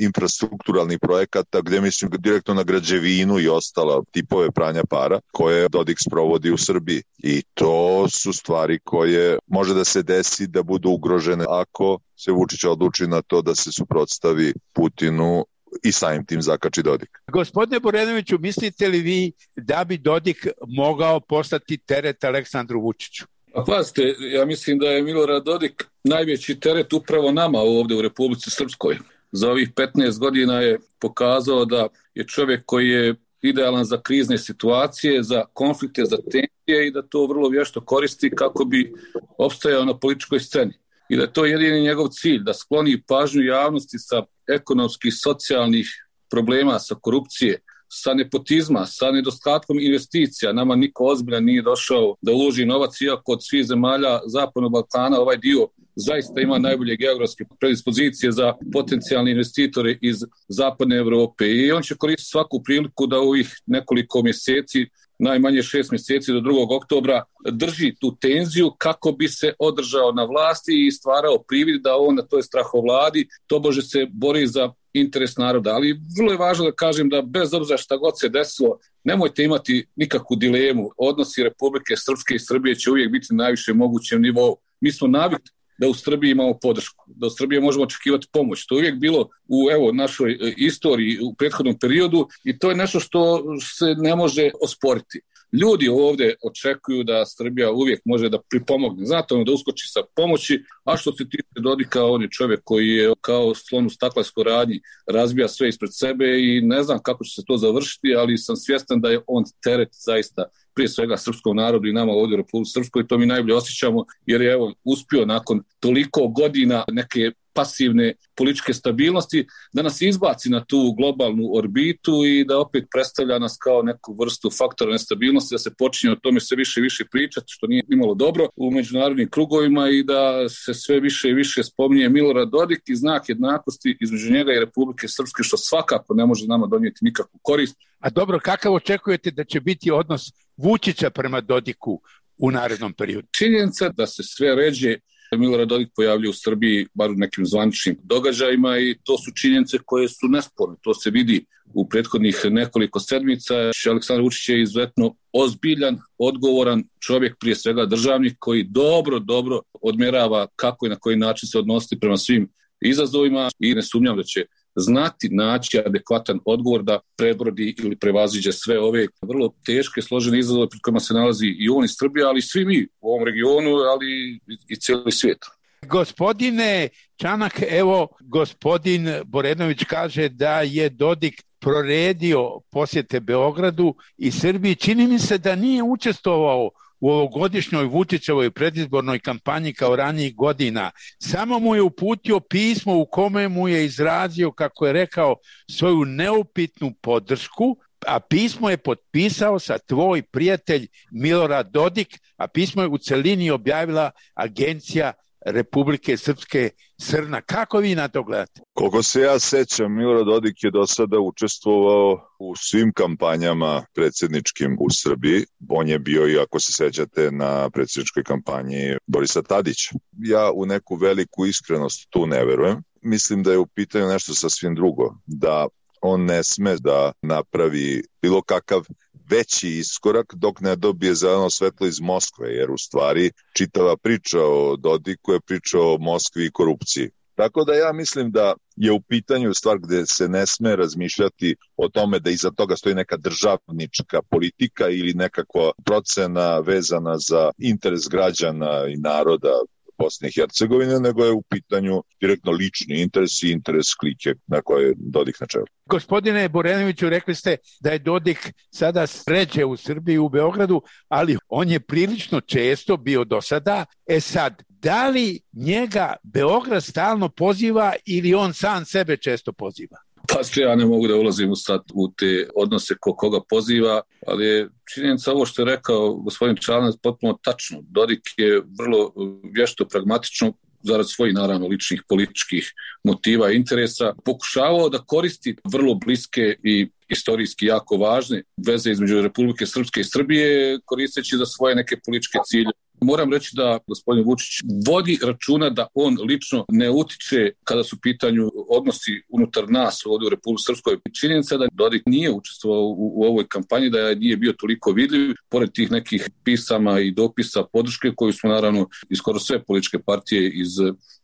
infrastrukturalnih projekata gdje mislim direktno na građevinu i ostala tipove pranja para koje Dodik sprovodi u Srbiji. I to su stvari koje može da se desi da budu ugrožene ako se Vučić odluči na to da se suprotstavi Putinu i samim tim zakači Dodik. Gospodine Borenoviću, mislite li vi da bi Dodik mogao postati teret Aleksandru Vučiću? A pazite, ja mislim da je Milorad Dodik najveći teret upravo nama ovdje u Republici Srpskoj. Za ovih 15 godina je pokazao da je čovjek koji je idealan za krizne situacije, za konflikte, za tenzije i da to vrlo vješto koristi kako bi opstajao na političkoj sceni. I da je to jedini njegov cilj, da skloni pažnju javnosti sa ekonomskih, socijalnih problema, sa korupcije, sa nepotizma, sa nedostatkom investicija. Nama niko ozbiljan nije došao da uloži novac, iako od svih zemalja Zapadnog Balkana ovaj dio zaista ima najbolje geografske predispozicije za potencijalne investitore iz zapadne Evrope i on će koristiti svaku priliku da u ovih nekoliko mjeseci, najmanje 6 mjeseci do 2. oktobra, drži tu tenziju kako bi se održao na vlasti i stvarao privid da on na toj strahovladi tobože se bori za interes naroda. Ali vrlo je važno da kažem da bez obzira šta god se desilo, nemojte imati nikakvu dilemu. Odnosi Republike Srpske i Srbije će uvijek biti na najvišem mogućem nivou. Mi smo navikli da u Srbiji imamo podršku, da u Srbiji možemo očekivati pomoć. To je uvijek bilo u našoj istoriji u prethodnom periodu i to je nešto što se ne može osporiti. Ljudi ovdje očekuju da Srbija uvijek može da pripomogne, znate, da uskoči sa pomoći, a što se tiče Dodika, on je čovjek koji je kao slon u staklarskoj radnji, razbija sve ispred sebe i ne znam kako će se to završiti, ali sam svjestan da je on teret zaista prije svega srpskom narodu i nama ovdje u Republici Srpskoj i to mi najbolje osjećamo jer je uspio nakon toliko godina neke pasivne političke stabilnosti da nas izbaci na tu globalnu orbitu i da opet predstavlja nas kao neku vrstu faktora nestabilnosti, da se počinje o tome sve više i više pričati, što nije imalo dobro u međunarodnim krugovima i da se sve više i više spominje Milorad Dodik i znak jednakosti između njega i Republike Srpske, što svakako ne može nama donijeti nikakvu korist. A dobro, kakav očekujete da će biti odnos Vučića prema Dodiku u narednom periodu? Činjenica da se sve ređe Milorad Dodik pojavljuje u Srbiji, bar u nekim zvaničnim događajima i to su činjenice koje su nesporne. To se vidi u prethodnih nekoliko sedmica. Aleksandar Vučić je izuzetno ozbiljan, odgovoran čovjek, prije svega državnik, koji dobro odmjerava kako i na koji način se odnositi prema svim izazovima i ne sumnjam da će znati naći adekvatan odgovor da prebrodi ili prevaziđe sve ove vrlo teške, složene izazove pred kojima se nalazi i on iz Srbije, ali i svi mi u ovom regionu, ali i cijeli svijet. Gospodine Čanak, evo gospodin Borenović kaže da je Dodik proredio posjete Beogradu i Srbiji. Čini mi se da nije učestvovao u ovogodišnjoj Vučićevoj predizbornoj kampanji kao ranijih godina. Samo mu je uputio pismo u kome mu je izrazio, kako je rekao, svoju neupitnu podršku, a pismo je potpisao sa tvoj prijatelj Milorad Dodik, a pismo je u celini objavila agencija Republike Srpske Srna. Kako vi na to gledate? Koliko se ja sećam, Milorad Dodik je do sada učestvovao u svim kampanjama predsjedničkim u Srbiji. On je bio i, ako se sećate, na predsjedničkoj kampanji Borisa Tadića. Ja u neku veliku iskrenost tu ne verujem. Mislim da je u pitanju nešto sasvim drugo. Da on ne sme da napravi bilo kakav veći iskorak dok ne dobije zeleno svetlo iz Moskve, jer u stvari čitava priča o Dodiku je priča o Moskvi i korupciji. Tako da ja mislim da je u pitanju stvar gde se ne sme razmišljati o tome da iza toga stoji neka državnička politika ili nekakva procena vezana za interes građana i naroda Bosne i Hercegovine, nego je u pitanju direktno lični interes i interes klike na koje je Dodik na čelu. Gospodine Borenoviću, rekli ste da je Dodik sada sređe u Srbiji, u Beogradu, ali on je prilično često bio do sada. Sad, da li njega Beograd stalno poziva ili on sam sebe često poziva? Pa ja ne mogu da ulazim sad u te odnose koga poziva, ali je činjenica ovo što je rekao gospodin Čanac potpuno tačno. Dodik je vrlo vješto, pragmatično, zarad svojih naravno ličnih političkih motiva i interesa, pokušavao da koristi vrlo bliske i istorijski jako važne veze između Republike Srpske i Srbije, koristeći za svoje neke političke cilje. Moram reći da gospodin Vučić vodi računa da on lično ne utiče kada su pitanju odnosi unutar nas ovdje u Republici Srpskoj. Činjenica da Dodik nije učestvovao u ovoj kampanji, da nije bio toliko vidljiv, pored tih nekih pisama i dopisa podrške koju smo naravno i skoro sve političke partije iz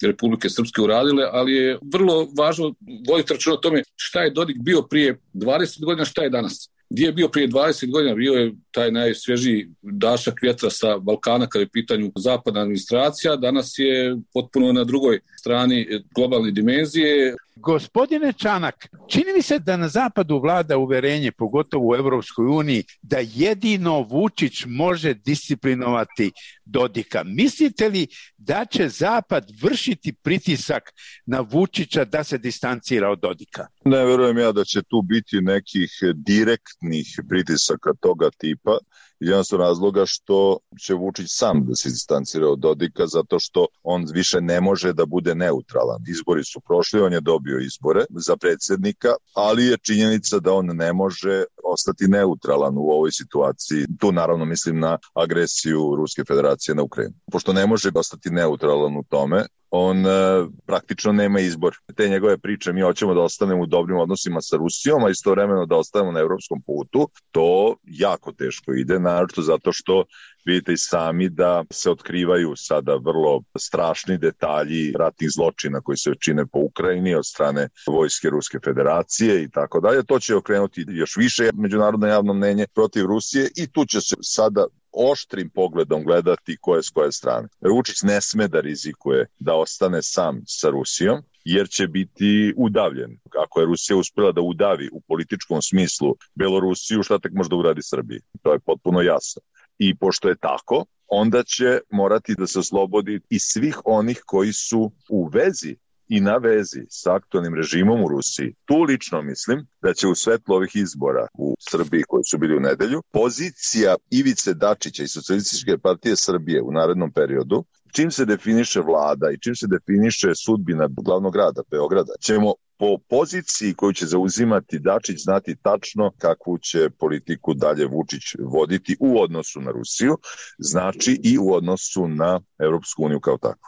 Republike Srpske uradile, ali je vrlo važno voditi računa o tome šta je Dodik bio prije 20 godina, šta je danas. Gdje je bio prije 20 godina, bio je taj najsvježiji dašak vjetra sa Balkana kada je pitanju zapadna administracija, danas je potpuno na drugoj strani globalne dimenzije. Gospodine Čanak, čini mi se da na zapadu vlada uverenje, pogotovo u Evropskoj uniji, da jedino Vučić može disciplinovati Dodika. Mislite li da će zapad vršiti pritisak na Vučića da se distancira od Dodika? Ne verujem ja da će tu biti nekih direktnih pritisaka toga tipa, jednostavno razloga što će Vučić sam da se distancira od Dodika zato što on više ne može da bude neutralan. Izbori su prošli, on je dobio izbore za predsjednika, ali je činjenica da on ne može ostati neutralan u ovoj situaciji. Tu naravno mislim na agresiju Ruske federacije na Ukrajinu. Pošto ne može ostati neutralan u tome, on praktično nema izbor. Te njegove priče, mi hoćemo da ostanemo u dobrim odnosima sa Rusijom, a istovremeno da ostanemo na evropskom putu, to jako teško ide, naročito zato što vidite i sami da se otkrivaju sada vrlo strašni detalji ratnih zločina koji se čine po Ukrajini od strane vojske Ruske federacije i tako dalje. To će okrenuti još više međunarodno javno mnenje protiv Rusije i tu će se sada oštrim pogledom gledati ko je s koje strane. Vučić ne sme da rizikuje da ostane sam sa Rusijom, jer će biti udavljen. Ako je Rusija uspjela da udavi u političkom smislu Belorusiju, šta tek može da uradi Srbiji? To je potpuno jasno. I pošto je tako, onda će morati da se oslobodi i svih onih koji su u vezi i na vezi sa aktualnim režimom u Rusiji. Tu lično mislim da će u svetlu ovih izbora u Srbiji koji su bili u nedelju, pozicija Ivice Dačića i Socijalističke partije Srbije u narednom periodu, čim se definiše vlada i čim se definiše sudbina glavnog grada, Beograda, ćemo po poziciji koju će zauzimati Dačić znati tačno kakvu će politiku dalje Vučić voditi u odnosu na Rusiju, znači i u odnosu na Evropsku uniju kao takvu.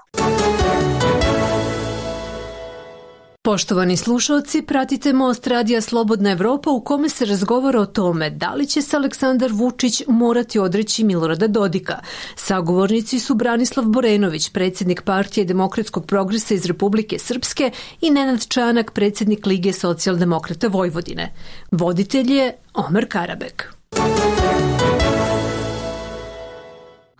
Poštovani slušalci, pratite Most Radija Slobodna Evropa u kome se razgovara o tome da li će se Aleksandar Vučić morati odreći Milorada Dodika. Sagovornici su Branislav Borenović, predsjednik Partije demokratskog progresa iz Republike Srpske i Nenad Čanak, predsjednik Lige socijaldemokrata Vojvodine. Voditelj je Omer Karabek.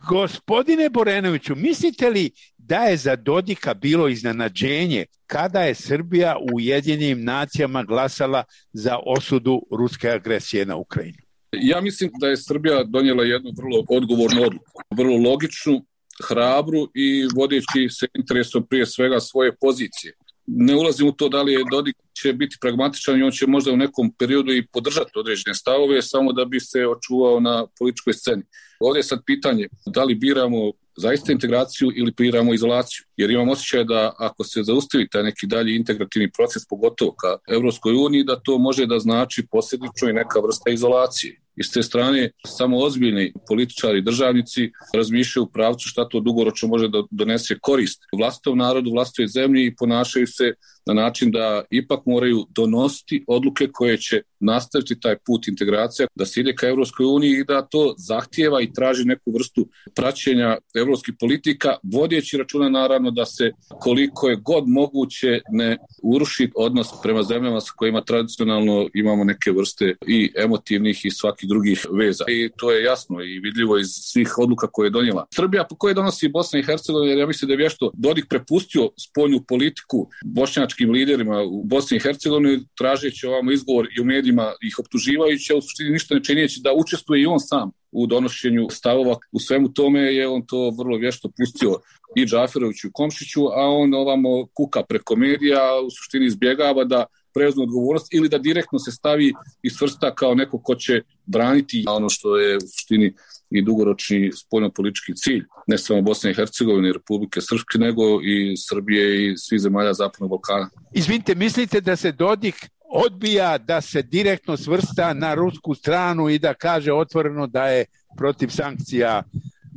Gospodine Borenoviću, mislite li da je za Dodika bilo iznenađenje kada je Srbija u Ujedinjenim nacijama glasala za osudu ruske agresije na Ukrajinu? Ja mislim da je Srbija donijela jednu vrlo odgovornu odluku, vrlo logičnu, hrabru i vodeći se interesom prije svega svoje pozicije. Ne ulazim u to da li je Dodik će biti pragmatičan i on će možda u nekom periodu i podržati određene stavove samo da bi se očuvao na političkoj sceni. Ovdje je sad pitanje da li biramo zaista integraciju ili biramo izolaciju. Jer imam osjećaj da ako se zaustavi taj neki dalji integrativni proces, pogotovo ka Evropskoj uniji, da to može da znači posljedično i neka vrsta izolacije. I s te strane, samo ozbiljni političari i državnici razmišljaju u pravcu šta to dugoročno može da donese korist vlastitom narodu, vlastitoj zemlji i ponašaju se na način da ipak moraju donositi odluke koje će nastaviti taj put integracija, da se ide ka Evropskoj uniji i da to zahtijeva i traži neku vrstu praćenja evropskih politika, vodeći računa naravno da se koliko je god moguće ne uruši odnos prema zemljama sa kojima tradicionalno imamo neke vrste i emotivnih i svakih drugih veza. I to je jasno i vidljivo iz svih odluka koje je donijela Srbija, po koje donosi Bosna i Hercegovina, jer ja mislim da je vješto Dodik prepustio spoljnu politiku bošnjačkim liderima u Bosni i Hercegovini, tražeći ovamo izgovor i u medijima ih optuživajući, a u suštini ništa ne činjeći da učestvuje i on sam u donošenju stavova. U svemu tome je on to vrlo vješto pustio i Džaferoviću i Komšiću, a on ovamo kuka preko medija, u suštini izbjegava da preuzme odgovornost ili da direktno se stavi i svrsta kao neko ko će braniti ono što je u suštini i dugoročni spoljnopolitički cilj, ne samo Bosne i Hercegovine i Republike Srpske, nego i Srbije i svih zemalja Zapadnog Balkana. Izvinite, mislite da se Dodik odbija da se direktno svrsta na rusku stranu i da kaže otvoreno da je protiv sankcija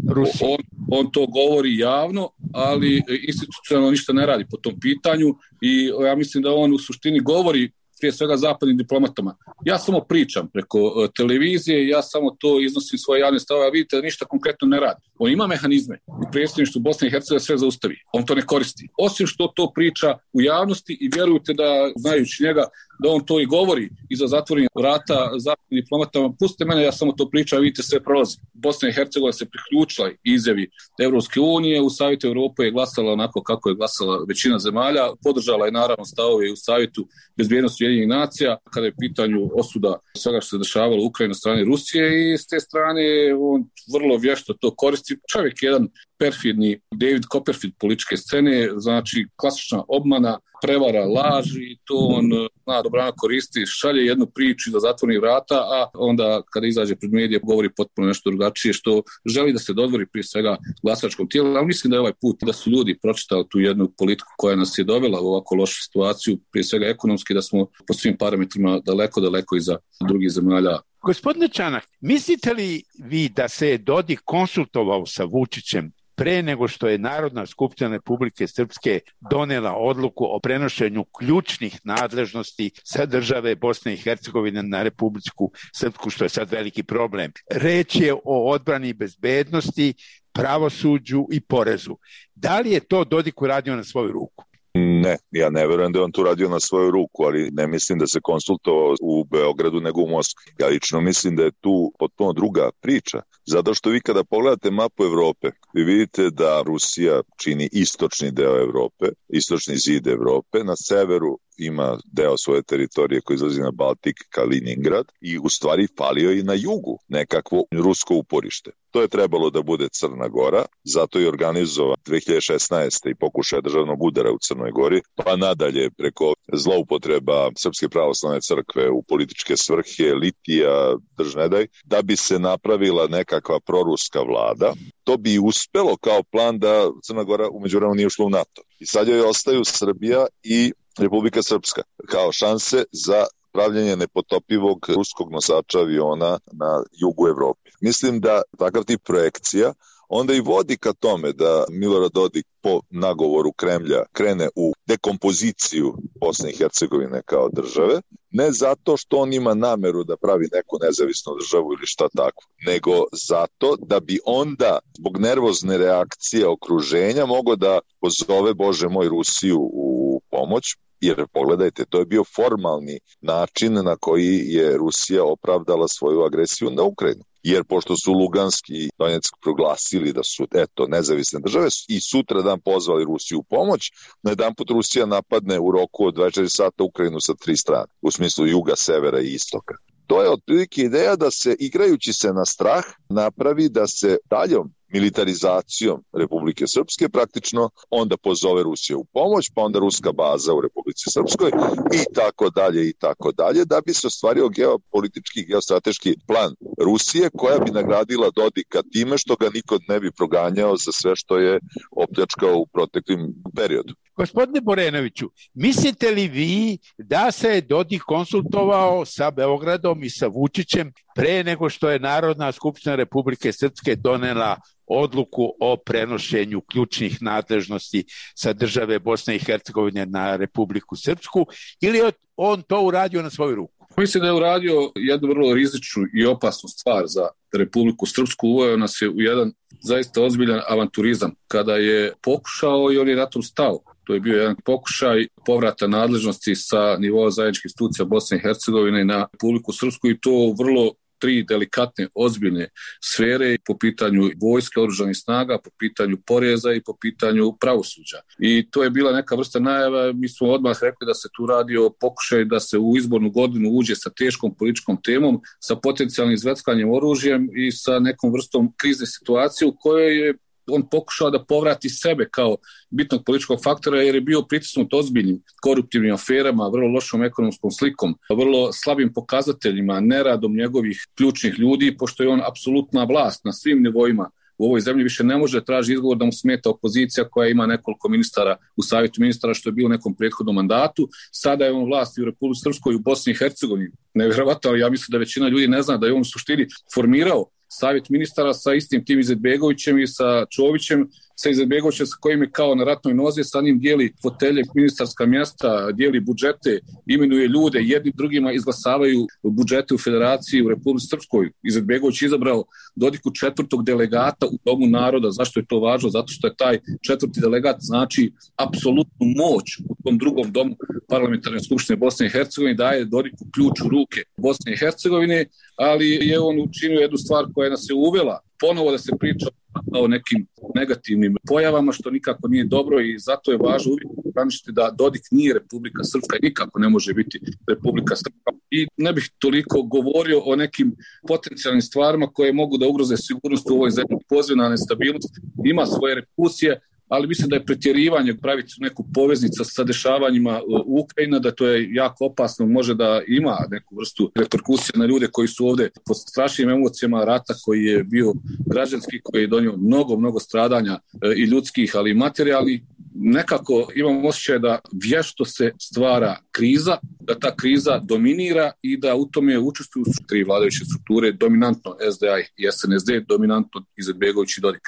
Rusije? On to govori javno, ali institucionalno ništa ne radi po tom pitanju i ja mislim da on u suštini govori prije svega zapadnim diplomatama. Ja samo pričam preko televizije, ja samo to iznosim svoje javne stavove, a vidite da ništa konkretno ne radi. On ima mehanizme u predsjedništvu Bosne i Hercegovine sve zaustavi. On to ne koristi. Osim što to priča u javnosti i vjerujte da, znajući njega, da on to i govori iza zatvorenih vrata zapadnim diplomatama. Pustite mene, ja samo to pričam, vidite sve prolazi. Bosna i Hercegovina se priključila izjavi Evropske unije, u Savjetu Europe je glasala onako kako je glasala većina zemalja, podržala je naravno stavove u Savjetu bezbjednosti Ujedinjenih nacija kada je pitanju osuda svega što se dešavalo u Ukrajini na strani Rusije i s te strane on vrlo vješto to koristi. Čovjek je jedan perfidni David Copperfield političke scene, znači klasična obmana, prevara, laž i to on zna dobrano koristi, šalje jednu priču da zatvori vrata, a onda kada izađe pred medije govori potpuno nešto drugačije što želi da se dodvori prije svega glasačkom tijelu, ali mislim da je ovaj put da su ljudi pročitali tu jednu politiku koja nas je dovela u ovako lošu situaciju, prije svega ekonomski, da smo po svim parametrima daleko iza drugih zemalja. Gospodine Čanak, mislite li vi da se je Dodik konsultovao sa Vučićem pre nego što je Narodna skupština Republike Srpske donela odluku o prenošenju ključnih nadležnosti sa države Bosne i Hercegovine na Republiku Srpsku, što je sad veliki problem? Reč je o odbrani i bezbednosti, pravosuđu i porezu. Da li je to Dodik uradio na svoju ruku? Ne, ja ne verujem da je on to radio na svoju ruku, ali ne mislim da se konsultovao u Beogradu nego u Moskvi. Ja lično mislim da je tu potpuno druga priča, zato što vi kada pogledate mapu Evrope, vi vidite da Rusija čini istočni deo Evrope, istočni zid Evrope, na severu ima deo svoje teritorije koji izlazi na Baltik, Kaliningrad, i u stvari falio i na jugu nekakvo rusko uporište. To je trebalo da bude Crna Gora, zato je organizovan 2016. i pokušaj državnog udara u Crnoj Gori, pa nadalje preko zloupotreba Srpske pravoslavne crkve u političke svrhe, litija, držnedaj, da bi se napravila nekakva proruska vlada. To bi uspelo kao plan da Crna Gora u međuvremenu nije ušla u NATO. I sad joj ostaju Srbija i Republika Srpska kao šanse za pravljenje nepotopivog ruskog nosača aviona na jugu Evrope. Mislim da takav tip projekcija onda i vodi ka tome da Milorad Dodik po nagovoru Kremlja krene u dekompoziciju Bosne i Hercegovine kao države, ne zato što on ima nameru da pravi neku nezavisnu državu ili šta tako, nego zato da bi onda zbog nervozne reakcije okruženja mogao da pozove, Bože moj, Rusiju u pomoć. Jer pogledajte, to je bio formalni način na koji je Rusija opravdala svoju agresiju na Ukrajinu. Jer pošto su Lugansk i Donjeck proglasili da su nezavisne države i sutra dan pozvali Rusiju u pomoć, na jedan put Rusija napadne u roku od 24 sata Ukrajinu sa 3 strane, u smislu juga, severa i istoka. To je otprilike ideja da se, igrajući se na strah, napravi da se daljom militarizacijom Republike Srpske praktično onda pozove Rusija u pomoć, pa onda ruska baza u Republici Srpskoj i tako dalje, da bi se ostvario geopolitički, geostrateški plan Rusije koja bi nagradila Dodika time što ga niko ne bi proganjao za sve što je opljačkao u proteklim periodu. Gospodine Borenoviću, mislite li vi da se je Dodik konsultovao sa Beogradom i sa Vučićem pre nego što je Narodna skupština Republike Srpske donela odluku o prenošenju ključnih nadležnosti sa države Bosne i Hercegovine na Republiku Srpsku, ili je on to uradio na svoju ruku? Mislim da je uradio jednu vrlo rizičnu i opasnu stvar za Republiku Srpsku. Uveo nas je u jedan zaista ozbiljan avanturizam kada je pokušao i on je na tom stao. To je bio jedan pokušaj povrata nadležnosti sa nivoa zajedničkih institucija Bosne i Hercegovine na Republiku Srpsku i to vrlo 3 delikatne, ozbiljne sfere po pitanju vojske, oružanih snaga, po pitanju poreza i po pitanju pravosuđa. I to je bila neka vrsta najava, mi smo odmah rekli da se tu radi o pokušaju da se u izbornu godinu uđe sa teškom političkom temom, sa potencijalnim zveckanjem oružjem i sa nekom vrstom krizne situacije u kojoj je on pokušao da povrati sebe kao bitnog političkog faktora jer je bio pritisnut ozbiljnim koruptivnim aferama, vrlo lošom ekonomskom slikom, vrlo slabim pokazateljima, neradom njegovih ključnih ljudi, pošto je on apsolutna vlast na svim nivoima u ovoj zemlji, više ne može traži izgovor da mu smeta opozicija koja ima nekoliko ministara u savjetu ministara, što je bilo u nekom prethodnom mandatu. Sada je on vlast i u Republici Srpskoj i u Bosni i Hercegovini. Nevjerovatno, ali ja mislim da većina ljudi ne zna da je on u suštini formirao savjet ministara sa istim tim Izetbegovićem i sa Čovićem, sa Izetbegovićem sa kojim je kao na ratnoj nozi, sa njim dijeli fotelje, ministarska mjesta, dijeli budžete, imenuje ljude, jedni drugima izglasavaju budžete u federaciji u Republici Srpskoj. Izetbegović izabrao Dodiku 4. delegata u Domu naroda. Zašto je to važno? Zato što je taj 4. delegat znači apsolutnu moć u tom drugom domu parlamentarne skupštine Bosne i Hercegovine, daje Dodiku ključ u ruke Bosne i Hercegovine, ali je on učinio jednu stvar koja nas je uvela ponovo da se priča o nekim negativnim pojavama, što nikako nije dobro i zato je važno uvijek ograničiti da Dodik nije Republika Srpska i nikako ne može biti Republika Srpska. I ne bih toliko govorio o nekim potencijalnim stvarima koje mogu da ugroze sigurnost u ovoj zemlji. Pozivna nestabilnost ima svoje reperkusije, ali mislim da je pretjerivanje praviti neku poveznicu sa dešavanjima u Ukrajini, da to je jako opasno, može da ima neku vrstu reperkusije na ljude koji su ovdje pod strašnim emocijama rata koji je bio građanski, koji je donio mnogo stradanja i ljudskih, ali i materijalnih. Nekako imam osjećaj da vješto se stvara kriza, da ta kriza dominira i da u tome učestvuju tri vladajuće strukture, dominantno SDA i SNSD, dominantno Izetbegović i Dodik.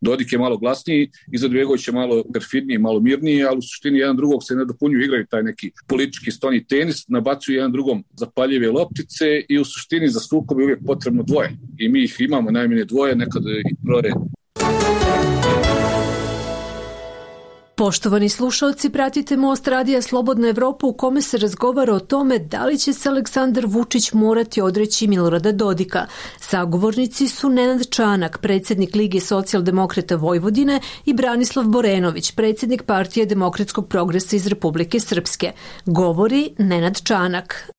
Dodik je malo glasniji, Izetbegović je malo perfidniji, malo mirniji, ali u suštini jedan drugog se ne dopunjuju, igraju taj neki politički stoni tenis, nabacuju jedan drugom zapaljive loptice i u suštini za sukob je uvijek potrebno dvoje. I mi ih imamo najmanje dvoje, nekad i troje. Poštovani slušalci, pratite Most radija Slobodna Evropa u kome se razgovara o tome da li će se Aleksandar Vučić morati odreći Milorada Dodika. Sagovornici su Nenad Čanak, predsjednik Lige socijaldemokrata Vojvodine, i Branislav Borenović, predsjednik Partije demokratskog progresa iz Republike Srpske. Govori Nenad Čanak.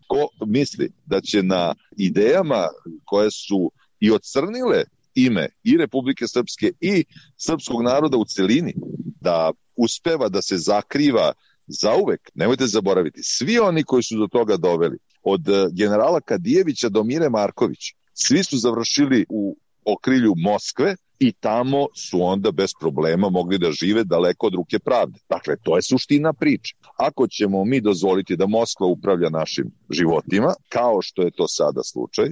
Ko misli da će na idejama koje su i ocrnile ime i Republike Srpske i srpskog naroda u celini, da uspeva da se zakriva zauvek, nemojte zaboraviti, svi oni koji su do toga doveli, od generala Kadijevića do Mire Marković, svi su završili u okrilju Moskve i tamo su onda bez problema mogli da žive daleko od ruke pravde. Dakle, to je suština priče. Ako ćemo mi dozvoliti da Moskva upravlja našim životima, kao što je to sada slučaj,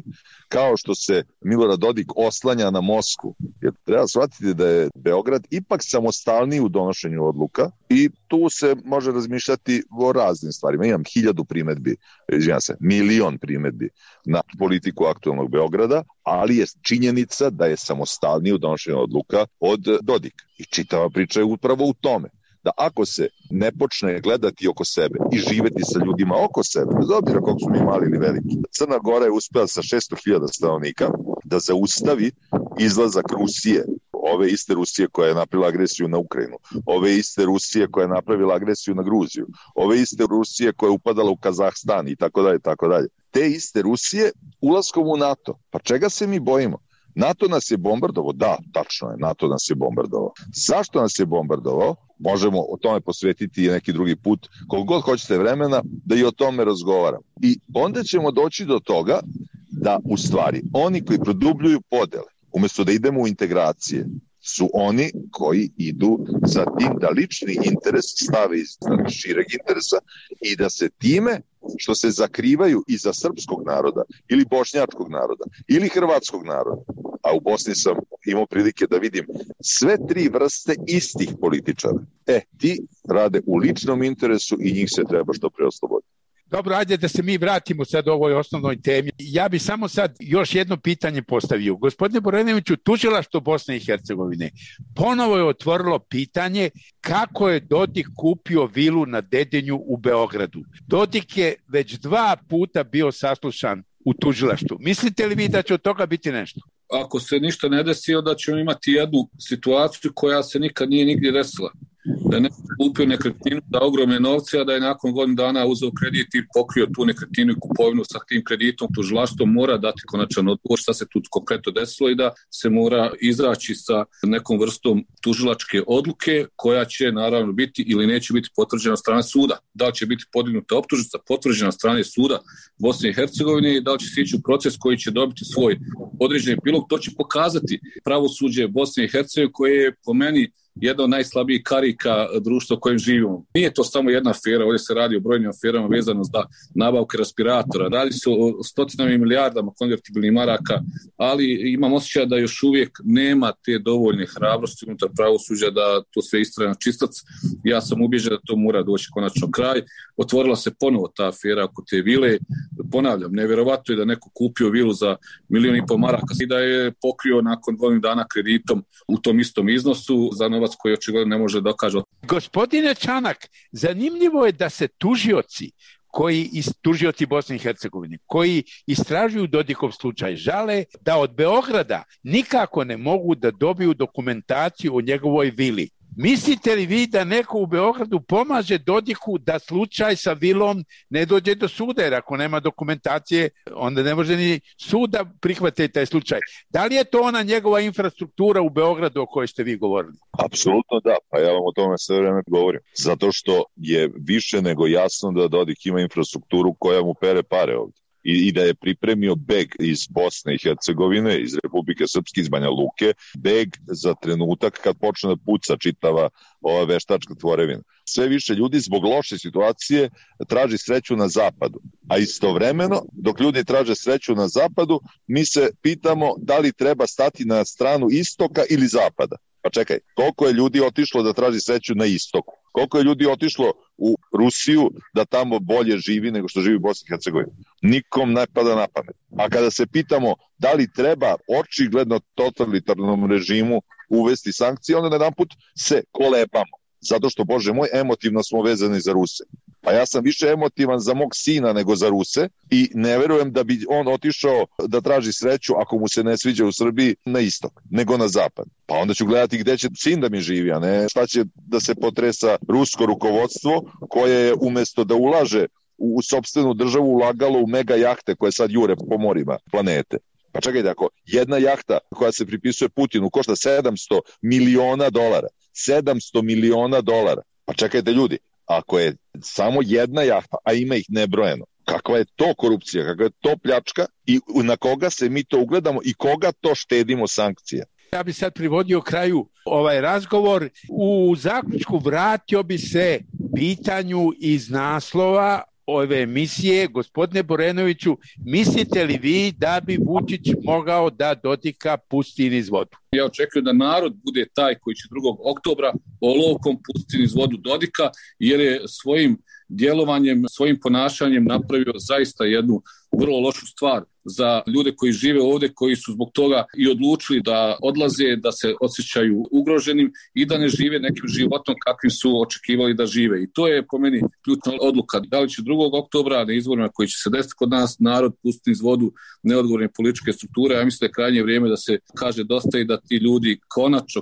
kao što se Milorad Dodik oslanja na Moskvu, jer treba shvatiti da je Beograd ipak samostalniji u donošenju odluka i tu se može razmišljati o raznim stvarima. Imam 1000 primedbi, 1.000.000 primedbi na politiku aktualnog Beograda, ali je činjenica da je samostalniji u donošenju odluka od Dodika. I čitava priča je upravo u tome da ako se ne gledati oko sebe i živeti sa ljudima oko sebe, bez obzira koliko su mi mali ili veliki, Crna Gora je uspela sa 600.000 stanovnika da zaustavi izlazak Rusije, ove iste Rusije koja je napravila agresiju na Ukrajinu, ove iste Rusije koja je napravila agresiju na Gruziju, ove iste Rusije koja je upadala u Kazahstan i tako dalje, tako dalje. Te iste Rusije ulaskom u NATO. Pa čega se mi bojimo? NATO nas je bombardovao? Da, tačno je, NATO nas je bombardovao. Zašto nas je bombardovao? Možemo o tome posvetiti i neki drugi put, koliko god hoćete vremena, da i o tome razgovaram. I onda ćemo doći do toga da u stvari oni koji produbljuju podele, umjesto da idemo u integracije, su oni koji idu za tim da lični interes stave iz šireg interesa i da se time što se zakrivaju iza srpskog naroda ili bošnjačkog naroda ili hrvatskog naroda, a u Bosni sam imao prilike da vidim sve tri vrste istih političara. Ti rade u ličnom interesu i njih se treba što pre osloboditi. Dobro, ajde da se mi vratimo sad ovoj osnovnoj temi. Ja bi samo sad još jedno pitanje postavio. Gospodine Borenoviću, tužilaštvo Bosne i Hercegovine ponovo je otvorilo pitanje kako je Dodik kupio vilu na Dedinju u Beogradu. Dodik je već 2 puta bio saslušan u tužilaštvu. Mislite li vi da će od toga biti nešto? Ako se ništa ne desi, onda ćemo imati jednu situaciju koja se nikad nije nigdje desila. Da je neko kupio nekretninu za ogromne novce, a da je nakon godinu dana uzeo kredit i pokrio tu nekretninu i kupovinu sa tim kreditom. Tužilaštvo mora dati konačan odgovor šta se tu konkretno desilo i da se mora izaći sa nekom vrstom tužilačke odluke koja će naravno biti ili neće biti potvrđena od strane suda. Da li će biti podignuta optužnica potvrđena od strane suda Bosne i Hercegovine i da li će se ići u proces koji će dobiti svoj određeni epilog. To će pokazati pravosuđe Bosne i Hercegovine koje je po meni jedna od najslabijih karika društva u kojem živimo. Nije to samo jedna afera, ovdje se radi o brojnim aferama vezano za nabavke respiratora, radi se o stotinama i milijardama konvertibilnih maraka, ali imam osjećaj da još uvijek nema te dovoljne hrabrosti unutar pravosuđa da to sve istraje na čistac. Ja sam ubijeđen da to mora doći konačno kraj. Otvorila se ponovo ta afera oko te vile. Ponavljam, nevjerovatno je da neko kupio vilu za 1,5 miliona maraka i da je pokrio nakon 2 dana kreditom u tom istom iznosu za novac koji očigledno ne može dokaže. Gospodine Čanak, zanimljivo je da se tužioci koji tužioci Bosne i Hercegovine, koji istražuju Dodikov slučaj, žale da od Beograda nikako ne mogu da dobiju dokumentaciju o njegovoj vili. Mislite li vi da neko u Beogradu pomaže Dodiku da slučaj sa vilom ne dođe do suda, jer ako nema dokumentacije, onda ne može ni sud da prihvate taj slučaj. Da li je to ona njegova infrastruktura u Beogradu o kojoj ste vi govorili? Apsolutno da, pa ja vam o tome sve vreme govorim. Zato što je više nego jasno da Dodik ima infrastrukturu koja mu pere pare ovdje. I da je pripremio beg iz Bosne i Hercegovine, iz Republike Srpske, iz Banja Luke, beg za trenutak kad počne da puca čitava ova veštačka tvorevina. Sve više ljudi zbog loše situacije traži sreću na zapadu. A istovremeno, dok ljudi traže sreću na zapadu, mi se pitamo da li treba stati na stranu istoka ili zapada. Pa čekaj, koliko je ljudi otišlo da traži sreću na istoku? Koliko je ljudi otišlo u Rusiju da tamo bolje živi nego što živi u Bosni i Hercegovini? Nikom ne pada na pamet. A kada se pitamo da li treba očigledno totalitarnom režimu uvesti sankcije, onda jedanput se kolebamo. Zato što, Bože moj, emotivno smo vezani za Ruse. Pa ja sam više emotivan za mog sina nego za Ruse i ne verujem da bi on otišao da traži sreću, ako mu se ne sviđa u Srbiji, na istok, nego na zapad. Pa onda ću gledati gde će sin da mi živi, a ne šta će da se potresa rusko rukovodstvo koje je umjesto da ulaže u sopstvenu državu ulagalo u mega jahte koje sad jure po morima planete. Pa čekajte, ako jedna jahta koja se pripisuje Putinu košta $700 miliona, 700 miliona dolara. Pa čekajte ljudi, ako je samo jedna jahta, a ima ih nebrojeno, kakva je to korupcija, kakva je to pljačka i na koga se mi to ugledamo i koga to štedimo sankcija? Ja bi sad privodio kraju ovaj razgovor. U zaključku vratio bi se pitanju iz naslova ove emisije. Gospodine Borenoviću, mislite li vi da bi Vučić mogao da Dodika pusti niz vodu? Ja očekujem da narod bude taj koji će 2. oktobra olovkom pustiti niz vodu Dodika, jer je svojim djelovanjem, svojim ponašanjem napravio zaista jednu vrlo lošu stvar za ljude koji žive ovdje, koji su zbog toga i odlučili da odlaze, da se osjećaju ugroženim i da ne žive nekim životom kakvim su očekivali da žive. I to je po meni ključna odluka. Da li će 2. oktobra na izborima koji će se desiti kod nas narod pustiti iz vodu neodgovorne političke strukture, ja mislim da je krajnje vrijeme da se kaže dosta i da ti ljudi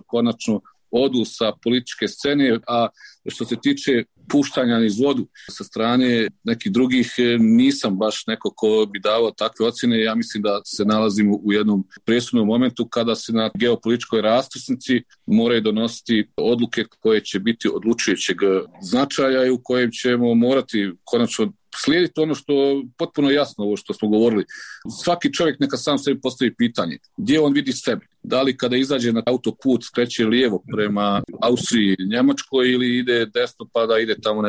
konačno odu sa političke scene, a što se tiče puštanja niz vodu sa strane nekih drugih, nisam baš neko ko bi davao takve ocjene. Ja mislim da se nalazimo u jednom presudnom momentu kada se na geopolitičkoj raskrsnici moraju donositi odluke koje će biti odlučujućeg značaja i u kojem ćemo morati konačno slijediti ono što je potpuno jasno, ovo što smo govorili. Svaki čovjek neka sam sebi postavi pitanje gdje on vidi sebe. Da li kada izađe na autoput skreće lijevo prema Austriji, Njemačkoj ili ide desno pa da ide tamo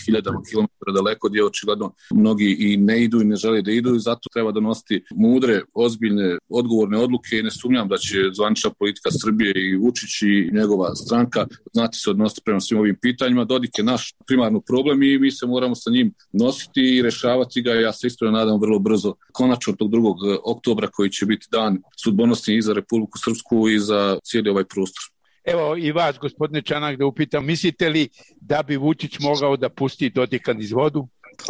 hiljadama kilometara daleko gdje očigledno mnogi i ne idu i ne žele da idu i zato treba donositi mudre, ozbiljne, odgovorne odluke i ne sumnjam da će zvanična politika Srbije i Vučić i njegova stranka znati se odnositi prema svim ovim pitanjima. Dodik je naš primarno problem i mi se moramo sa njim nositi i rešavati ga. Ja se iskreno nadam vrlo brzo, konačno tog 2. oktobra koji će biti dan sudbonosni i za Republiku Srpsku i za cijeli ovaj prostor. Evo i vas, gospodine Čanak, da upitam, mislite li da bi Vučić mogao da pusti Dodika niz vodu?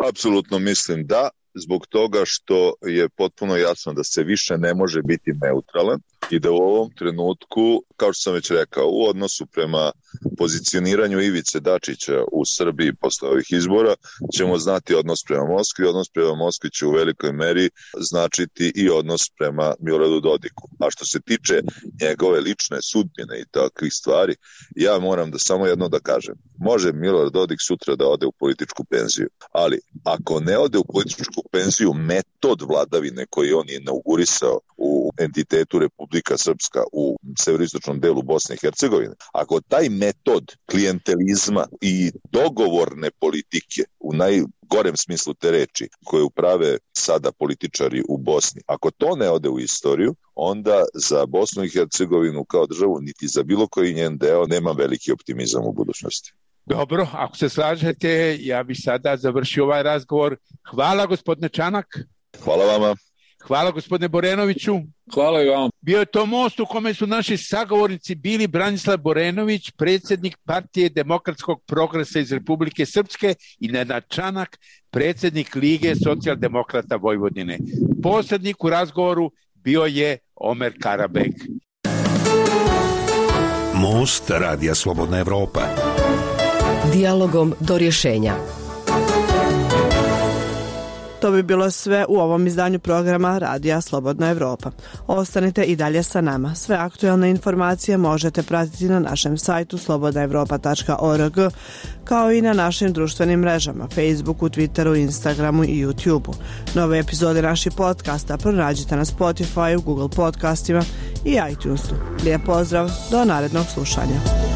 Apsolutno mislim da, zbog toga što je potpuno jasno da se više ne može biti neutralan i da u ovom trenutku, kao što sam već rekao, u odnosu prema pozicioniranju Ivice Dačića u Srbiji posle ovih izbora ćemo znati odnos prema Moskvi. Odnos prema Moskvi će u velikoj meri značiti i odnos prema Miloradu Dodiku. A što se tiče njegove lične sudbine i takvih stvari, ja moram da samo jedno da kažem. Može Milorad Dodik sutra da ode u političku penziju, ali ako ne ode u političku penziju, metod vladavine koji on je inaugurisao u entitetu Republika Srpska u severoistočnom delu Bosne i Hercegovine, ako taj metod klijentelizma i dogovorne politike u najgorem smislu te reči koje uprave sada političari u Bosni, ako to ne ode u istoriju, onda za Bosnu i Hercegovinu kao državu niti za bilo koji njen deo nema veliki optimizam u budućnosti. Dobro, ako se slažete, ja bih sada završio ovaj razgovor. Hvala, gospodine Čanak. Hvala vama. Hvala gospodine Borenoviću. Hvala i vam. Bio je to most u kome su naši sagovornici bili Branislav Borenović, predsjednik Partije demokratskog progresa iz Republike Srpske, i Nenad Čanak, predsjednik Lige socijaldemokrata Vojvodine. Posrednik u razgovoru bio je Omer Karabek. Most Radija Slobodna Evropa. Dijalogom do rješenja. To bi bilo sve u ovom izdanju programa Radija Slobodna Evropa. Ostanite i dalje sa nama. Sve aktualne informacije možete pratiti na našem sajtu slobodnaevropa.org, kao i na našim društvenim mrežama, Facebooku, Twitteru, Instagramu i YouTubeu. Nove epizode naših podcasta pronađite na Spotify, Google podcastima i iTunesu. Lijep pozdrav, do narednog slušanja.